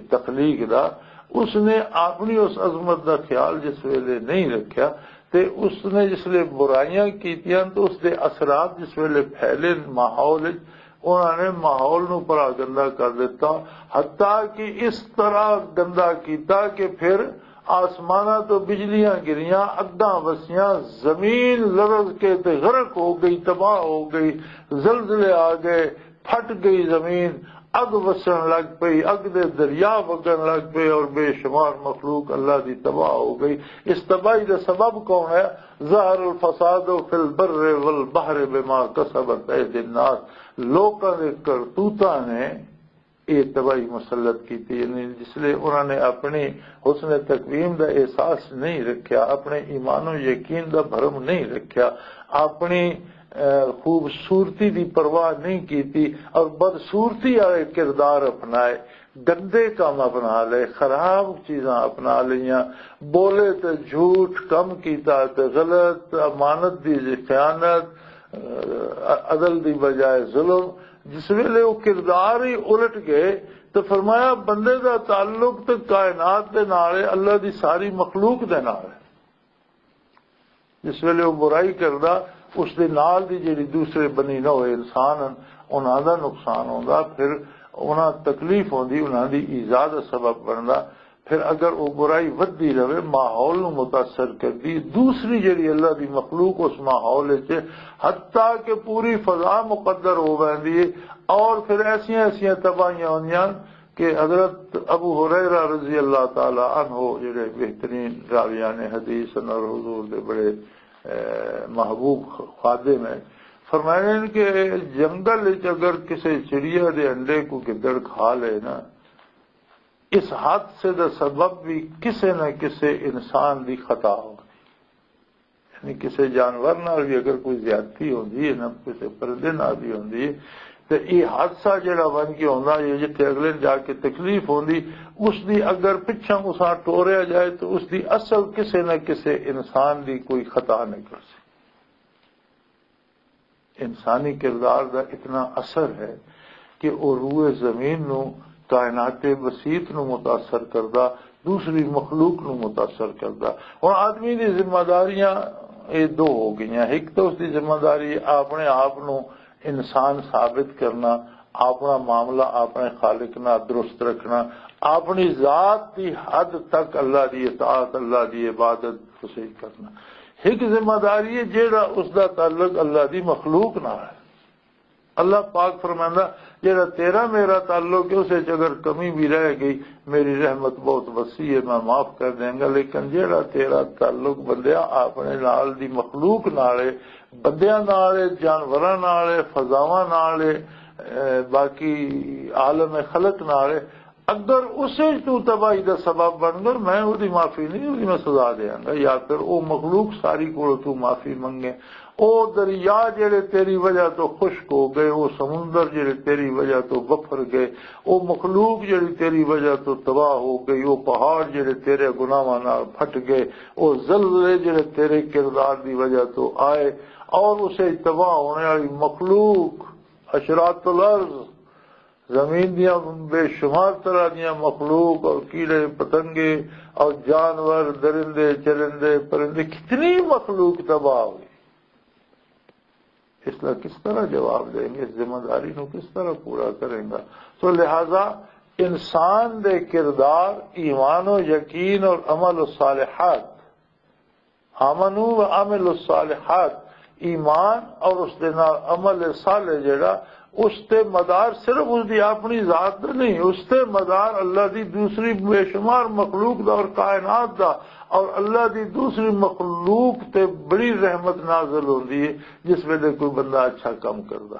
تخلیق دا۔ اس نے اپنی اس عظمت دا خیال جس ویلے نہیں رکھیا، تے اس نے جس ویلے برائیاں کیتیاں، تو اس دے اثرات جس ویلے پھیلے ماحول وچ، انہاں نے ماحول نو بڑا گندا کر دیتا، حتیٰ کہ اس طرح گندا کیتا کہ پھر آسماناں تو بجلیاں گریاں، اگاں وسیاں، زمین لرز کے تے غرق ہو گئی، تباہ ہو گئی، زلزلے آ گئے، پھٹ گئی زمین، اگ وسن لگ پئی، اگ دے دریا وگن لگ پئے، اور بے شمار مخلوق اللہ دی تباہ ہو گئی۔ اس تباہی دا سبب کون ہے؟ ظہر الفساد فی البر والبحر بما کسبت ایدی الناس۔ لوکاں دے کرتوتاں نے یہ تباہی مسلط کی تھی، یعنی جس لئے انہوں نے اپنی حسن تقویم دا احساس نہیں رکھیا، اپنے ایمان و یقین دا بھرم نہیں رکھیا، اپنی، اے، خوبصورتی دی پرواہ نہیں کی تھی اور بدصورتی والے کردار اپنائے، گندے کام اپنا لے، خراب چیزاں اپنا لیاں، بولے تے جھوٹ، کم کیتا تے غلط، امانت دی خیانت، اے، عدل دی بجائے ظلم، جس ویلے وہ کردار ہی الٹ گئے، تو فرمایا، بندے دا تعلق تے کائنات دے نال ہے، اللہ دی ساری مخلوق دے نال ہے۔ جس ویلے وہ برائی کردا، اس دے نال دی جڑی دوسرے بنی نہ ہوئے انسان ہن، انہاں دا نقصان ہوندا، پھر انہاں تکلیف ہوندی، انہاں دی ایذا دا سبب بندا۔ پھر اگر وہ برائی ودھدی رہے، ماحول نو متاثر کردی، دوسری جڑی اللہ دی مخلوق اس ماحول وچ، حتیٰ کہ پوری فضا مقدر ہو ویندی ہے، اور پھر ایسیاں ایسیاں تباہیاں ہوندیاں کہ حضرت ابو ہریرہ رضی اللہ تعالی عنہ، جڑے بہترین راویان حدیث اور حضور دے بڑے، اے، محبوب خادم ہیں، فرمائے ہیں کہ جنگل وچ اگر کسی چڑیا دے انڈے کو گدڑ کھا لے نا، اس حادثے دا سبب بھی کسے نہ کسے انسان دی خطا ہو، یعنی کسے جانور نال بھی اگر کوئی زیادتی ہوندی ہے، نہ کسے پرندے نال بھی ہوندی ہے، تے یہ حادثہ جڑا بن کے ہوندا ہے، جتھے اگلے نوں جا کے تکلیف ہوندی، اس دی اگر پچھاں اساں ٹوریا جائے تو اس دی اصل کسے نہ کسے انسان دی کوئی خطا نکل سی۔ انسانی کردار دا اتنا اثر ہے کہ وہ روئے زمین نو، کائنات وسیط نو متاثر کردا، دوسری مخلوق نو متاثر کردا۔ ہن آدمی دی ذمہ داریاں یہ دو ہو گئیاں۔ ایک تو اس دی ذمہ داری اپنے آپ نو انسان ثابت کرنا، اپنا معاملہ اپنے خالق نال درست رکھنا، اپنی ذات دی حد تک اللہ دی اطاعت، اللہ دی عبادت صحیح کرنا۔ ایک ذمہ داری ہے جیڑا اس دا تعلق اللہ دی مخلوق نال ہے۔ اللہ پاک فرماندا، جیڑا تیرا میرا تعلق ہے، اس وچ اگر کمی بھی رہ گئی، میری رحمت بہت وسیع ہے، میں معاف کر دیاں گا۔ لیکن جیڑا تیرا تعلق بندیاں اپنے نال دی مخلوق نال ہے، بندیاں نال ہے، جانوراں نال ہے، فضاواں نال ہے، اے، باقی عالم خلق نال ہے، اگر اسے تو تباہی دا سبب بن گئے، میں وہ دی معافی نہیں، وہ دی میں سزا دیاں گا۔ یا پھر وہ مخلوق ساری کو تو معافی منگے، او دریا جڑے تیری وجہ تو خشک ہو گئے، او سمندر جڑے تیری وجہ تو بفر گئے، او مخلوق جڑی تیری وجہ تو تباہ ہو گئی، او پہاڑ جڑے تیرے گناہاں نال پھٹ گئے، او زلزلے جڑے تیرے کردار دی وجہ تو آئے، اور اسے تباہ ہونے والی مخلوق، اشرات الارض، زمین دیاں بے شمار طرح دیاں مخلوق اور کیڑے پتنگے اور جانور، درندے، چرندے، پرندے، کتنی مخلوق تباہ ہوئی۔ اس کا کس طرح جواب دیں گے؟ اس ذمہ داری نو کس طرح پورا کریں گا؟ تو لہذا انسان دے کردار، ایمان و یقین اور عمل و صالحات، آمنو و عمل الصالحات، ایمان اور اس دے نال عمل صالح جڑا، اس تے مدار صرف اس دی اپنی ذات دا نہیں، اس تے مدار اللہ دی دوسری بے شمار مخلوق دا اور کائنات دا، اور اللہ دی دوسری مخلوق تے بڑی رحمت نازل ہوندی ہے جس ویلے کوئی بندہ اچھا کام کردا۔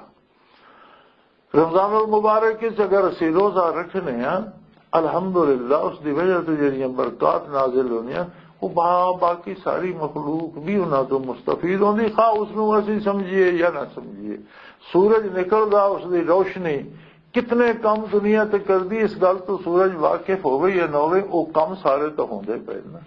رمضان المبارک وچ اگر اسی روزہ رکھنے ہاں، الحمدللہ، اس دی وجہ تو جڑیاں برکات نازل ہوندیاں، وہ با-، باقی ساری مخلوق بھی انہاں تو مستفید ہوندی، خواہ اس نوں اسی سمجھیے یا نہ سمجھیے۔ سورج نکلدا، اس دی روشنی کتنے کم دنیا تے کردی، اس گل تو سورج واقف ہوے یا نہ ہوے، وہ کم سارے تو ہوندے پے نا۔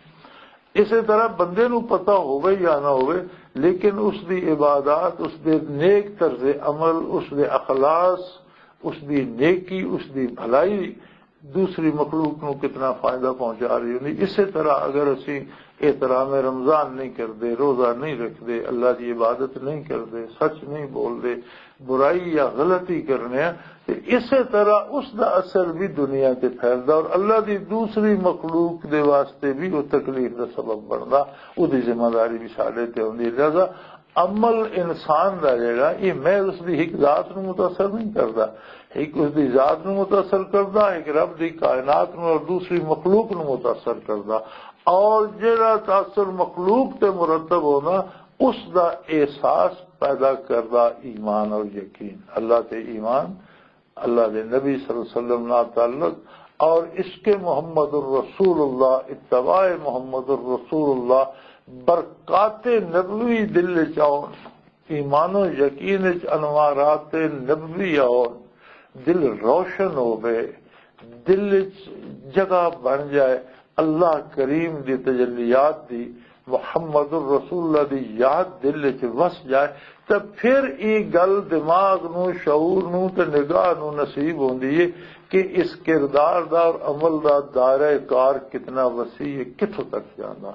اسی طرح بندے نوں پتہ ہوے یا نہ ہوے، لیکن اس دی عبادات، اس دے نیک طرز عمل، اس دے اخلاص، اس دی نیکی، اس دی بھلائی، دوسری مخلوق نو کتنا فائدہ پہنچا رہی ہوندی۔ اسی طرح اگر اسی احترام رمضان نہیں کردے، روزہ نہیں رکھدے، اللہ دی عبادت نہیں کردے، سچ نہیں بولدے، برائی یا غلطی کرنے ہیں، تے اسی طرح اس دا اثر بھی دنیا تے پھیلدا اور اللہ دی دوسری مخلوق دے واسطے بھی وہ تکلیف دا سبب بندا، وہ دی ذمہ داری بھی ساڈے تے ہوندی ہے۔ لہذا عمل انسان دا جڑا، یہ محض اس دی ایک ذات نو متاثر نہیں کردا، ایک اس دی ذات نو متاثر کردا، ایک رب دی کائنات نو اور دوسری مخلوق نو متاثر کردا۔ اور جڑا تاثر مخلوق تے مرتب ہونا، اس دا احساس پیدا کردا ایمان اور یقین، اللہ تے ایمان، اللہ دے نبی صلی اللہ علیہ وسلم نال تعلق، اور عشق محمد الرسول اللہ، اتباع محمد الرسول اللہ، برکات نبوی دل وچ آؤ، ایمان و یقین وچ انوارات نبوی آؤ، دل روشن ہوے، دل وچ جگہ بن جائے اللہ کریم دی تجلیات دی، محمد الرسول اللہ دی یاد دل وچ وس جائے، تے پھر یہ گل دماغ نو، شعور نو تے نگاہ نو نصیب ہوندی ہے کہ اس کردار دا اور عمل دا دائرہ کار کتنا وسیع ہے، کتھوں تک جاندا۔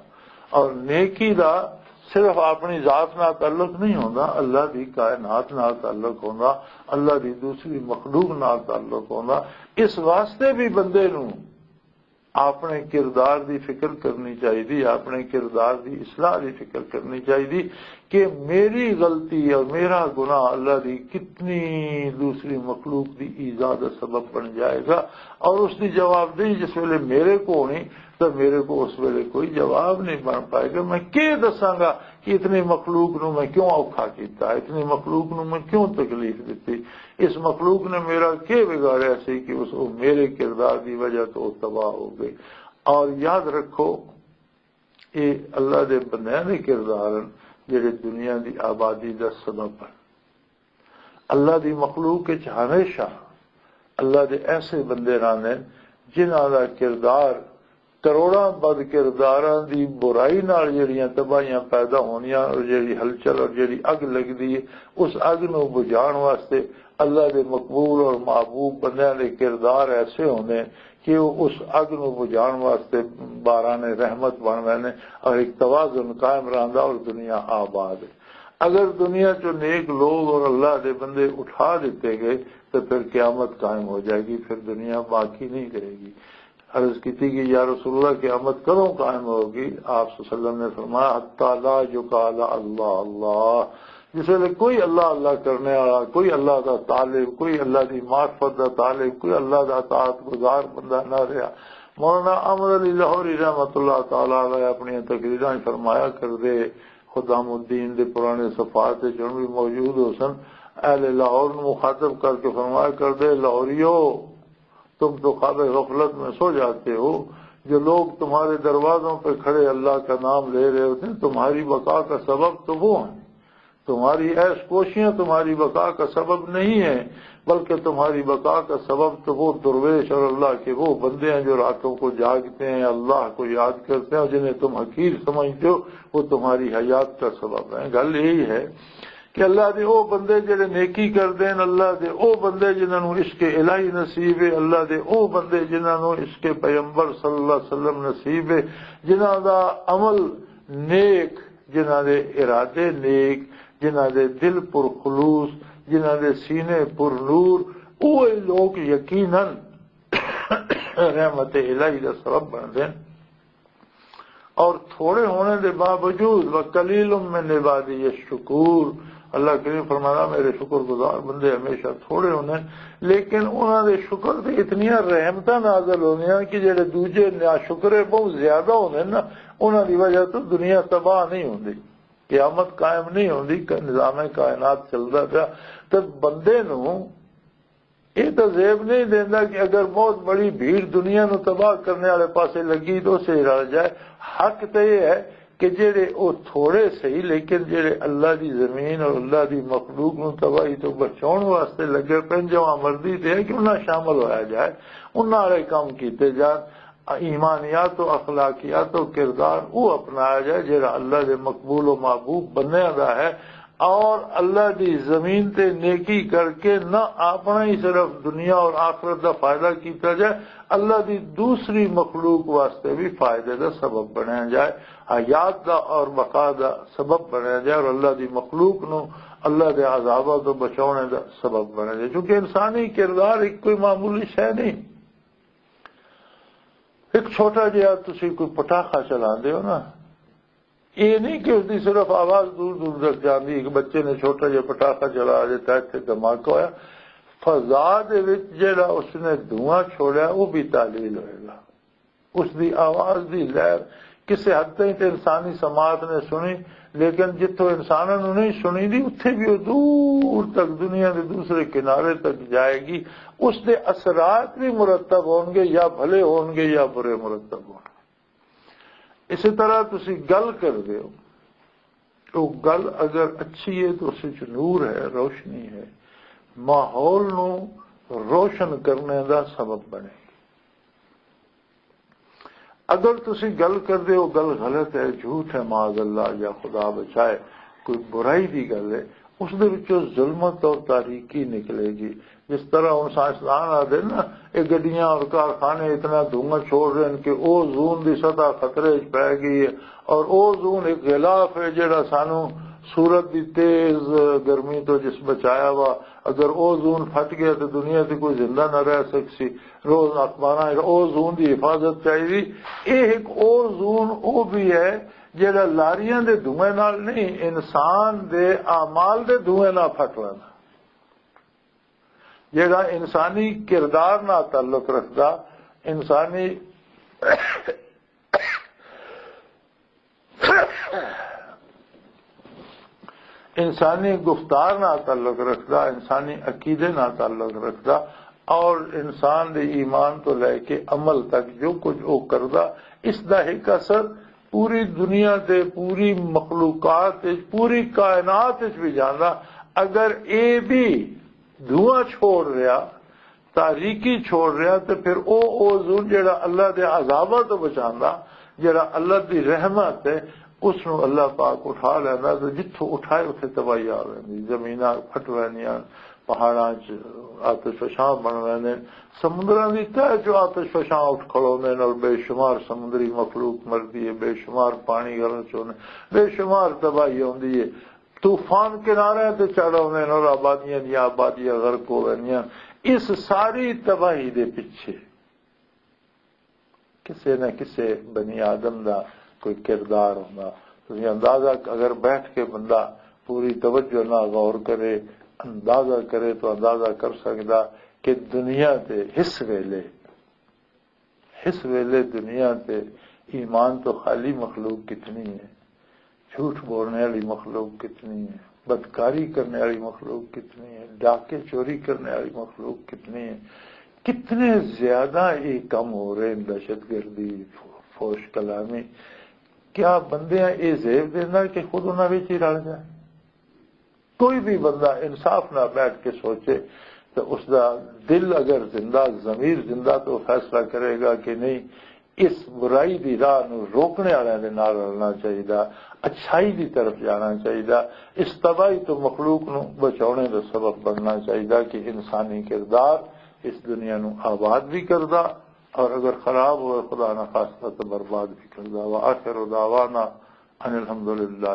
اور نیکی دا صرف اپنی ذات نال تعلق نہیں ہوندا، اللہ دی کائنات نال تعلق ہوندا، اللہ دی دوسری مخلوق نال تعلق ہوندا۔ اس واسطے بھی بندے نو اپنے کردار دی فکر کرنی چاہیے، اپنے کردار دی اصلاح دی فکر کرنی چاہیے کہ میری غلطی اور میرا گناہ اللہ دی کتنی دوسری مخلوق دی ایذا دا سبب بن جائے گا، اور اس دی جواب دہی جس ویلے میرے کو ہونی، تو میرے کو اس ویلے کوئی جواب نہیں بن پائے گا۔ میں کی دساں گا کہ اتنی مخلوق نو میں کیوں اوکھا کیتا، اتنی مخلوق نو میں کیوں تکلیف دتی؟ اس مخلوق نے میرا کی بگاڑیا سی کہ اس، وہ میرے کردار دی وجہ تو وہ تباہ ہو گئے؟ اور یاد رکھو، یہ اللہ دے بندیاں دے کردار ہیں جڑے دنیا دی آبادی دا سبب ہیں۔ اللہ دی مخلوق وچ ہمیشہ اللہ دے ایسے بندے رہندے ہیں جنہاں دا کردار کروڑاں بد کرداراں دی برائی نال جڑیاں تباہیاں پیدا ہونیاں اور جڑی ہلچل اور جڑی اگ لگدی ہے، اس اگ نو بجھان واسطے اللہ دے مقبول اور محبوب بندیاں دے کردار ایسے ہوندے ہیں کہ وہ اس اگ نو بجھان واسطے باران رحمت بن ویندے اور ایک توازن قائم رہندا اور دنیا آباد ہے۔ اگر دنیا چوں نیک لوگ اور اللہ دے بندے اٹھا دیتے گئے تو پھر قیامت قائم ہو جائے گی، پھر دنیا باقی نہیں رہے گی۔ عرض کیتی کہ یا رسول اللہ، قیامت کدوں قائم ہوگی؟ آپ صلی اللہ علیہ وسلم نے فرمایا، "حتی لا یقال اللہ اللہ۔" جس ویلے کوئی اللہ اللہ کرنے والا، کوئی اللہ دا طالب، کوئی اللہ دی معرفت دا طالب، کوئی اللہ دا اطاعت گزار بندہ نہ رہا۔ مولانا احمد علی لاہوری رحمت اللہ تعالی علیہ اپنی تقریراں وچ فرمایا کردے، خدام الدین دے پرانے صفحات وچ ہن بھی موجود ہو سن، اہل لاہور نوں مخاطب کر کے فرمایا کردے، "لاہوریو، تم تو خواب غفلت میں سو جاتے ہو، جو لوگ تمہارے دروازوں پہ کھڑے اللہ کا نام لے رہے ہوتے ہیں، تمہاری بقا کا سبب تو وہ ہیں، تمہاری عیش کوشیاں تمہاری بقا کا سبب نہیں ہے، بلکہ تمہاری بقا کا سبب تو وہ درویش اور اللہ کے وہ بندے ہیں جو راتوں کو جاگتے ہیں، اللہ کو یاد کرتے ہیں، اور جنہیں تم حقیر سمجھتے ہو، وہ تمہاری حیات کا سبب ہیں۔" گل یہی ہے کہ اللہ دے او بندے جڑے نیکی کردے ہیں، اللہ دے او بندے جنہاں نوں عشق الہی نصیب ہے، اللہ دے او بندے جنہاں نوں عشق پیغمبر صلی اللہ علیہ وسلم نصیب ہے، جنہاں دا عمل نیک، جنہاں دے ارادے نیک، جنہاں دے دل پر خلوص، جنہاں دے سینے پر نور، اوہی لوگ یقیناً رحمت الہی دا سبب بندے ہیں۔ اور تھوڑے ہونے دے باوجود، "وَقَلِيلٌ مِّنْ عِبَادِيَ الشَّكُورُ"، اللہ کریم فرمانا، "میرے شکر گزار بندے ہمیشہ تھوڑے ہونے ہیں، لیکن انہاں دے شکر تے اتنیاں رحمتاں نازل ہوندیاں کہ جڑے دوجے ناشکرے بہت زیادہ ہوندے نا، انہاں دی وجہ تو دنیا تباہ نہیں ہوندی، قیامت قائم نہیں ہوندی، کہ نظام کائنات چلدا پیا۔" تے بندے نوں یہ تو زیب نہیں دیندا کہ اگر بہت بڑی بھیڑ دنیا نو تباہ کرنے والے پاسے لگی تو اسے رل جائے۔ حق تو یہ ہے کہ جڑے او تھوڑے صحیح، لیکن جڑے اللہ دی زمین اور اللہ دی مخلوق نو تباہی تو بچاؤن واسطے لگے پن، جو مردی تے ہے کہ انہاں شامل ہویا جائے، انہاں والے کام کیتے جان، ایمانیات و اخلاقیات و کردار او اپنایا جائے جڑا اللہ دے مقبول و محبوب بندیاں دا ہے۔ اور اللہ دی زمین تے نیکی کر کے نہ اپنا ہی صرف دنیا اور آخرت دا فائدہ کیتا جائے، اللہ دی دوسری مخلوق واسطے بھی فائدے دا سبب بنیا جائے، حیات دا اور بقا دا سبب بنیا جائے، اور اللہ دی مخلوق نو اللہ دے عذاباں تو بچاؤنے دا سبب بنیا جائے، کیونکہ انسانی کردار ایک کوئی معمولی شے نہیں۔ ایک چھوٹا جہا تسی کوئی پٹاخہ چلا دے ہو نا، یہ نہیں کہ اس دی صرف آواز دور دور تک جاندی۔ ایک بچے نے چھوٹا جہا پٹاخہ چلا دیتا، اتنے دھماکہ ہویا، فضا دے وچ جڑا اس نے دھواں چھوڑیا، وہ بھی تعلیل ہوئے گا۔ اس دی آواز دی لہر کسے حد تائیں تے انسانی سماعت نے سنی، لیکن جتھوں انساناں نوں نہیں سنی دی، اتھے بھی وہ دور تک، دنیا دے دوسرے کنارے تک جائے گی۔ اس دے اثرات بھی مرتب ہون گے، یا بھلے ہون گے یا برے مرتب ہون گے۔ اسی طرح تسی گل کر دے ہو، تو گل اگر اچھی ہے تو اس وچ نور ہے، روشنی ہے، ماحول نو روشن کرنے دا سبب بنے۔ اگر تسی گل کر دے ہو، گل غلط ہے، جھوٹ ہے، معاذ اللہ، یا خدا بچائے، کوئی برائی دی گل ہے، اس دے وچوں ظلمت اور تاریکی نکلے گی۔ جس طرح ہن سائنسدان آدھے نا، یہ گڈیاں اور کارخانے اتنا دھواں چھوڑ رہے ہیں کہ اوزون دی سطح خطرے وچ پی گئی ہے، اور اوزون ایک غلاف ہے جڑا سانو سورج دی تیز گرمی تو جس بچایا وا۔ اگر اوزون پھٹ گیا تو دنیا تے کوئی زندہ نہ رہ سکسی۔ روز اخباراں وچ اوزون دی حفاظت چاہیے۔ یہ ایک اوزون او بھی ہے جڑا لاریاں دے دھوئیں نال نہیں، انسان دے اعمال دے دھوئیں نال پھٹ رہا، جڑا انسانی کردار نال تعلق رکھدا، انسانی انسانی گفتار نال تعلق رکھدا، انسانی عقیدے نال تعلق رکھدا، اور انسان دے ایمان تو لے کے عمل تک جو کچھ وہ کردا، اس دا ایک اثر پوری دنیا تے، پوری مخلوقات وچ، پوری کائنات وچ بھی جاندا۔ اگر اے بھی دھواں چھوڑ رہا، تاریکی چھوڑ رہا، تے پھر او اوزون جڑا اللہ دے عذاباں تو بچاندا، جڑا اللہ دی رحمت ہے، اس نو اللہ پاک اٹھا لیندا، تے جتھوں اٹھائے اتھے تباہی آ ویندی، زمیناں پھٹ ویندیاں، پہاڑاں چ آتش فشاں بن ویندے، سمندراں دی تہہ چ آتش فشاں اٹھ کھلوندے نے، اور بے شمار سمندری مخلوق مردی ہے، بے شمار پانی گرم چوندے، بے شمار تباہی ہوندی ہے۔ طوفان کنارے تے چڑھ آوندے نے اور آبادیاں دیاں آبادیاں غرق ہو ویندیاں۔ اس ساری تباہی دے پیچھے کسے نہ کسے بنی آدم دا کوئی کردار ہوندا۔ تسی اندازہ، اگر بیٹھ کے بندہ پوری توجہ نہ غور کرے، اندازہ کرے، تو اندازہ کر سکدا کہ دنیا تے اس ویلے اس ویلے دنیا تے ایمان تو خالی مخلوق کتنی ہے، جھوٹ بولنے والی مخلوق کتنی ہے، بدکاری کرنے والی مخلوق کتنی ہے، ڈاکے چوری کرنے والی مخلوق کتنی ہے، کتنے زیادہ یہ کم ہو رہے ہیں، دہشت گردی، فوش کلامی۔ کیا بندیاں یہ زیب دینا کہ خود انہاں وچ ہی رل جائے؟ کوئی بھی بندہ انصاف نہ بیٹھ کے سوچے تو اس دا دل اگر زندہ، ضمیر زندہ، تو فیصلہ کرے گا کہ نہیں، اس برائی دی راہ نو روکنے والے دے نال رلنا چاہیے، اچھائی دی طرف جانا چاہیے، اس تباہی تو مخلوق نو بچاؤنے دا سبب بننا چاہیے کہ انسانی کردار اس دنیا نو آباد بھی کردا، اور اگر خراب ہوئے، خدا نہ خواستہ، تو برباد بھی کردا۔ وآخر دعوانا ان الحمدللہ۔